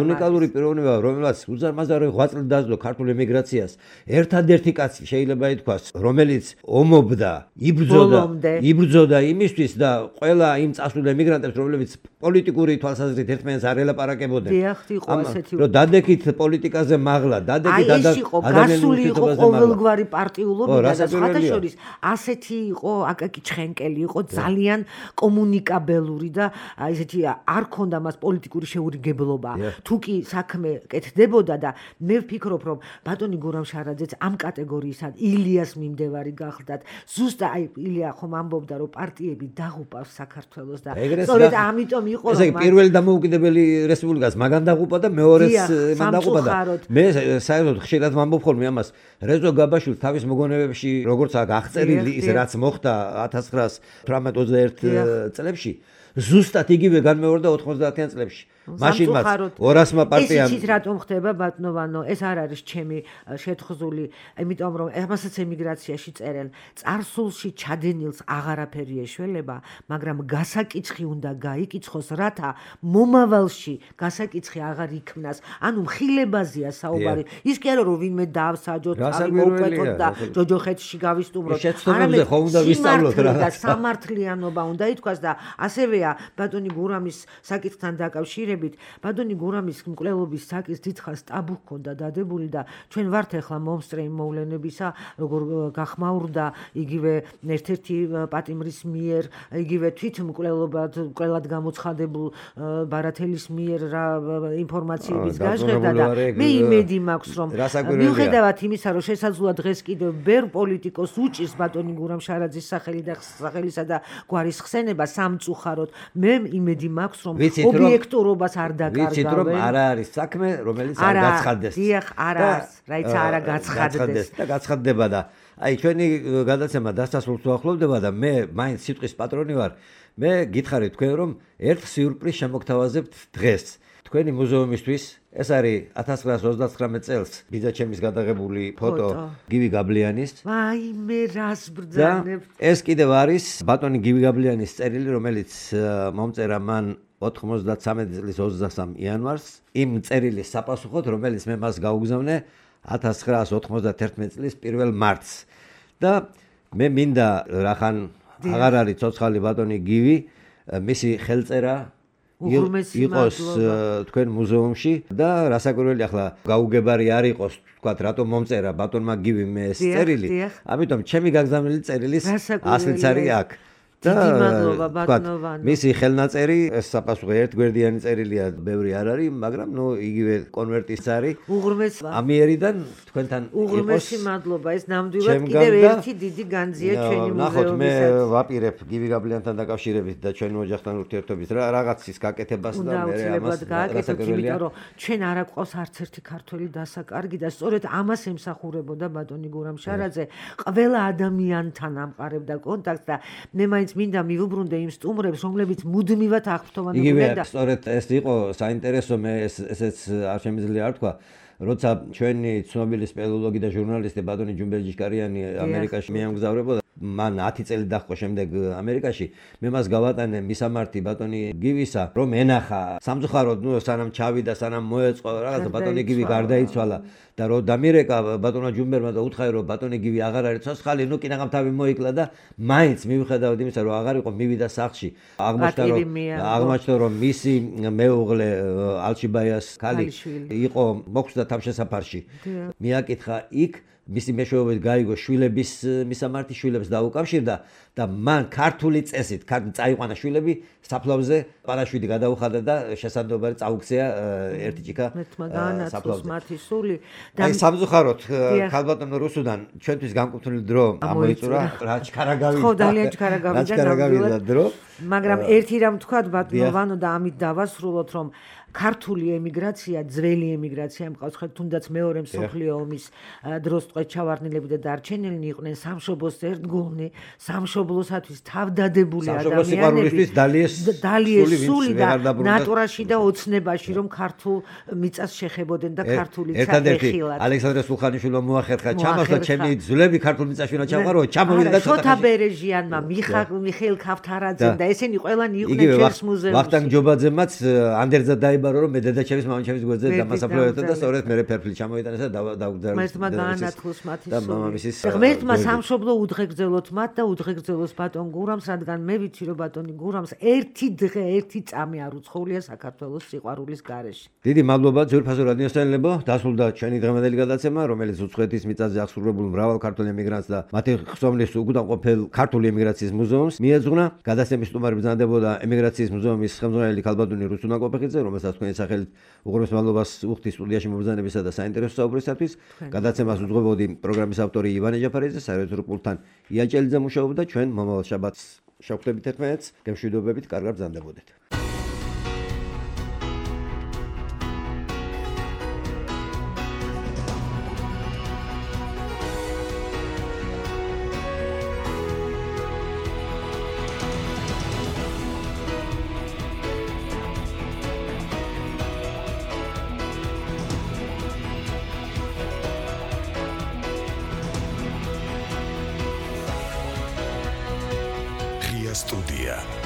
უნიკალური პიროვნება, რომელსაც უზარმაზარი ღვაწლი დაძლო ქართულ ემიგრაციას. ერთადერთი კაცი შეიძლება ითქვას, რომელიც ომობდა, იბრძოდა იმისთვის და ყველა იმ წასულ ემიგრანტებს, რომლებიც პოლიტიკური თვალსაზრისით ერთმანეთს არ ელაპარაკებოდნენ. რომ დადექით პოლიტიკაზე მაღლა, დადექით გასული იყო ყოველგვარი პარტიულობიდან და სხვათა შორის ასეთი იყო აკაკი ჩხენკელი, იყო ძალიან კომუნიკაბელური და ესეთი არ ქონდა მას პოლიტიკური შეურიგებლობა. თუ კი საქმე კეთდებოდა და მე ვფიქრობ, რომ ბატონი გურამ შარაძეც ამ კატეგორიისად ილიას მიმდევარი გახლდათ. ზუსტად აი ილია ხომ ამბობდა, რომ პარტიები დაღუპავს საქართველოს და სწორედ ამიტომ იყო რომ პირველი დამოუკიდებელი რესპუბლიკას მაგან დაღუპა და მეორეს მან დაღუპა და მე საერთოდ ხშირად ვამბობ ხოლმე ამას. რეზო გაბაშვილს თავის მოგონებებში როგორც აქ აღწერილი ის რაც მოხდა 1918-21 წლებში ზუსტად იგივე განმეორდა 90-იან წლებში. მაშინ მას 200-მა პარტიამ ისიც რატომ ხდება ბატონო, ეს არ არის ჩემი შეთხზული, იმიტომ რომ ამასაც ემიგრაციაში წერენ, წარსულში ჩადენილს აღარაფერი ეშველება, მაგრამ გასაკიცხი უნდა გაიკიცხოს, რათა მომავალში გასაკიცხი აღარ იქმნას. ანუ მხილებაზეა საუბარი. ის კი არა რომ ვინმე დავსაჯოთ, მოვკვეთოთ და ჯოჯოხეთში გავისტუმროთ. არამედ ხომ უნდა ვისწავლოთ რა. სამართლიანობა უნდა ითქვას და ასევეა ბატონი გურამის საკითხთან დაკავშირებით. ბატონი გურამის მკვლელობის საკითხს დიდხანს ტაბუ ჰქონდა დადებული და ჩვენ ვართ ახლა მომსწრე იმ მოვლენებისა, როგორ გახმაურდა იგივე ერთ-ერთი პატიმრის მიერ, იგივე თვითმკვლელად გამოცხადებულ ბარათელის მიერ რა ინფორმაციების გაჟღერდა და მე იმედი მაქვს, რომ მიუხედავად იმისა, რომ შესაძლოა დღეს კიდევ ბევრ პოლიტიკოს უჭირს ბატონი გურამ შარაძის სახელისა და გვარის ხსენება სამწუხაროდ, მე იმედი მაქვს, რომ ობიექტურობა არ დაკარგავენ. ვიცით რომ არ არის საქმე, რომელიც არ გაცხადდეს. დიახ, არ არის, რაიც არა გაცხადდეს და გაცხადდება და აი ჩვენი გადაცემა დასასრულს უახლოვდება და მე მაინც სიტყვის პატრონი ვარ. მე გითხარით თქვენ რომ ერთ სიურპრიზს შემოგთავაზებთ დღეს. თქვენი მუზეუმისთვის ეს არის 1929 წელს ბიძაჩემის გადაღებული ფოტო გივი გაბლიანის. აი მე რას ბრძანებ. ეს კიდევ არის ბატონი გივი გაბლიანის წერილი, რომელიც მომწერა მან 93 წლის 23 იანვარს იმ წერილის საპასუხოდ, რომელიც მე მას გაუგზავნე 1991 წლის 1 მარტს. და მე მინდა რახან აღარ არის ცოცხალი ბატონი გივი, მისი ხელწერა იყოს თქვენ მუზეუმში და რასაკვირველი ახლა გაუგებარი არ იყოს თქვათ რატომ მომწერა ბატონმა გივიმ ეს წერილი, ამიტომ ჩემი გაგზავნილი წერილის ასლიც არის აქ. დიდი მადლობა ბატონოვანო. მისი ხელნაწერი ეს საპასუხო ერთგვერდიანი წერილია, ბევრი არ არის, მაგრამ ნუ იგივე კონვერტის არის. უღრმესი ამიერიდან თქვენთან უღრმესი მადლობა, ეს ნამდვილად კიდევ ერთი დიდი განძია ჩვენი მუზეუმისათვის. ნახოთ, მე ვაპირებ გივი გაბლიანთან დაკავშირებით და ჩვენი ოჯახთან ურთიერთობით რაღაცის გაკეთებას და მე ამას გააკეთებ, იმიტომ რომ ჩვენ არ აკვავს არც ერთი ქართველი დასაკარგი და სწორედ ამას ემსახურებოდა ბატონი გურამ შარაძე, ყველა ადამიანთან ამყარებდა კონტაქტს და მე მინდა მივუბრუნდე იმ სტუმრებს, რომლებიც მუდმივად აღფრთოვანებდნენ და სწორედ ეს იყო საინტერესო, მე ესეც არ შემიძლია არ თქვა, როცა ჩვენი ცნობილი სპელოლოგი და ჟურნალისტი ბატონი ჯუმბეჯიშკარიანი ამერიკაში მიემგზავრებოდა, მან 10 წელი დაჰყო შემდეგ ამერიკაში, მე მას გავატანე მისამართი ბატონი გივისა, რომ ენახა სამწუხაროდ, ნუ სანამ ჩავიდა, სანამ მოეწყო რაღაცა ბატონი გივი გარდაიცვალა და რომ დამირეკა ბატონმა ჯუმბერმა და უთხრა რომ ბატონი გივი აღარ არის ცოცხალი, ნუ კინაღამ თავი მოიკლა და მაინც მიუხედავად იმისა რომ აღარ იყო მივიდა სახლში, აღმოჩნდა რომ მისი მეუღლე ალჩიბაიას ქალი იყო მოხვდა თავშესაფარში. მიაკითხა იქ მისი მეშვეობით გაიგო შვილების მისამართი შვილებს დაუკავშირდა და მან ქართული წესით წაიყვანა შვილები საფლავზე პარაშვიდი გადაუხადა და შესაძლებელი წაუქცია ერთი ჭიქა საფლავზე. აი სამწუხაროდ ქალბატონო რუსუდან ჩვენთვის განკუთვნილი დრო ამოიწურა, რაც ჩქარაგავიდა. ხო, ძალიან ჩქარაგავიდა დრო. მაგრამ ერთი რამ თქვა ბატონოვანო და ამით დავასრულოთ, რომ ქართული ემიგრაცია, ძველი ემიგრაცია მყავს, ხეთ თუნდაც მეორე მსოფლიო ომის დროს ტყვეჩავარდნილები და დარჩენილნი იყვნენ სამშობლოს ერთგულნი, სამშობლოსათვის თავდადებული ადამიანები, დალიეს სული და ნატურაში და ოცნებაში, რომ ქართულ მიწას შეხებოდნენ და ქართული ერთადერთი ალექსანდრე სულხანიშვილმა მოახერხა ჩამოსვლა ჩემი ძვლები ქართულ მიწაში უნდა ჩამყარო, ჩამოვიდა და შოთა ბერეჟიანმა, მიხეილ ქავთარაძემ და ესენი ყველანი იყვნენ ჩვენს მუზეუმში. ვახტანგ ჯობაძემაც ანდერძა დაიბარო, რომ მე დედაჩემის მამაჩემის გვერდზე დამასაფლავებდა და სწორედ მე ფერფლი ჩამოიტანეს და დაუგზავნეს. მერთმა გაანათლოს მათი და მამამისის ღმერთმა სამშობლო უდღეგრძელოთ მათ და უდღეგრძელოს ბატონ გურამს, რადგან მე ვიცი რომ ბატონი გურამს ერთი დღე, ერთი წამი არ უცხოვრია საქართველოს სიყვარულის გარეშე. დიდი მადლობა ძვირფასო რადიოსმენელებო, დასრულდა ჩვენი დღევანდელი გადაცემა, რომელიც უცხოეთის მიწაზე აღსრულებულ მრავალ ქართულ ემიგრანტს და მათი ხსოვნის უკუთამყოფელ ქართული ემიგრაციის მუზეუმს მიეძღვნა. გადაცემის სტუმარი ბრძანდებოდა ემიგრაციის მუზეუმის ხელმძღვანელი ქალბატონი რუსუნა კოპეხიძე, რომელსაც თქვენი სახელით უღრმეს მადლობას ვუხდი სტუდიაში მობრძანებისა და საინტერესო საუბრისათვის. გადაცემას უძღვებოდი პროგრამის ავტორი ივანე ჯაფარიძე, საერთო პულტთან ია ჭელიძე მუშაობდა. ჩვენ მომავალ შაბათს შევხვდებით ერთმანეთს, გემშვიდობებით, კარგად ბრძანდებოდეთ. Studia.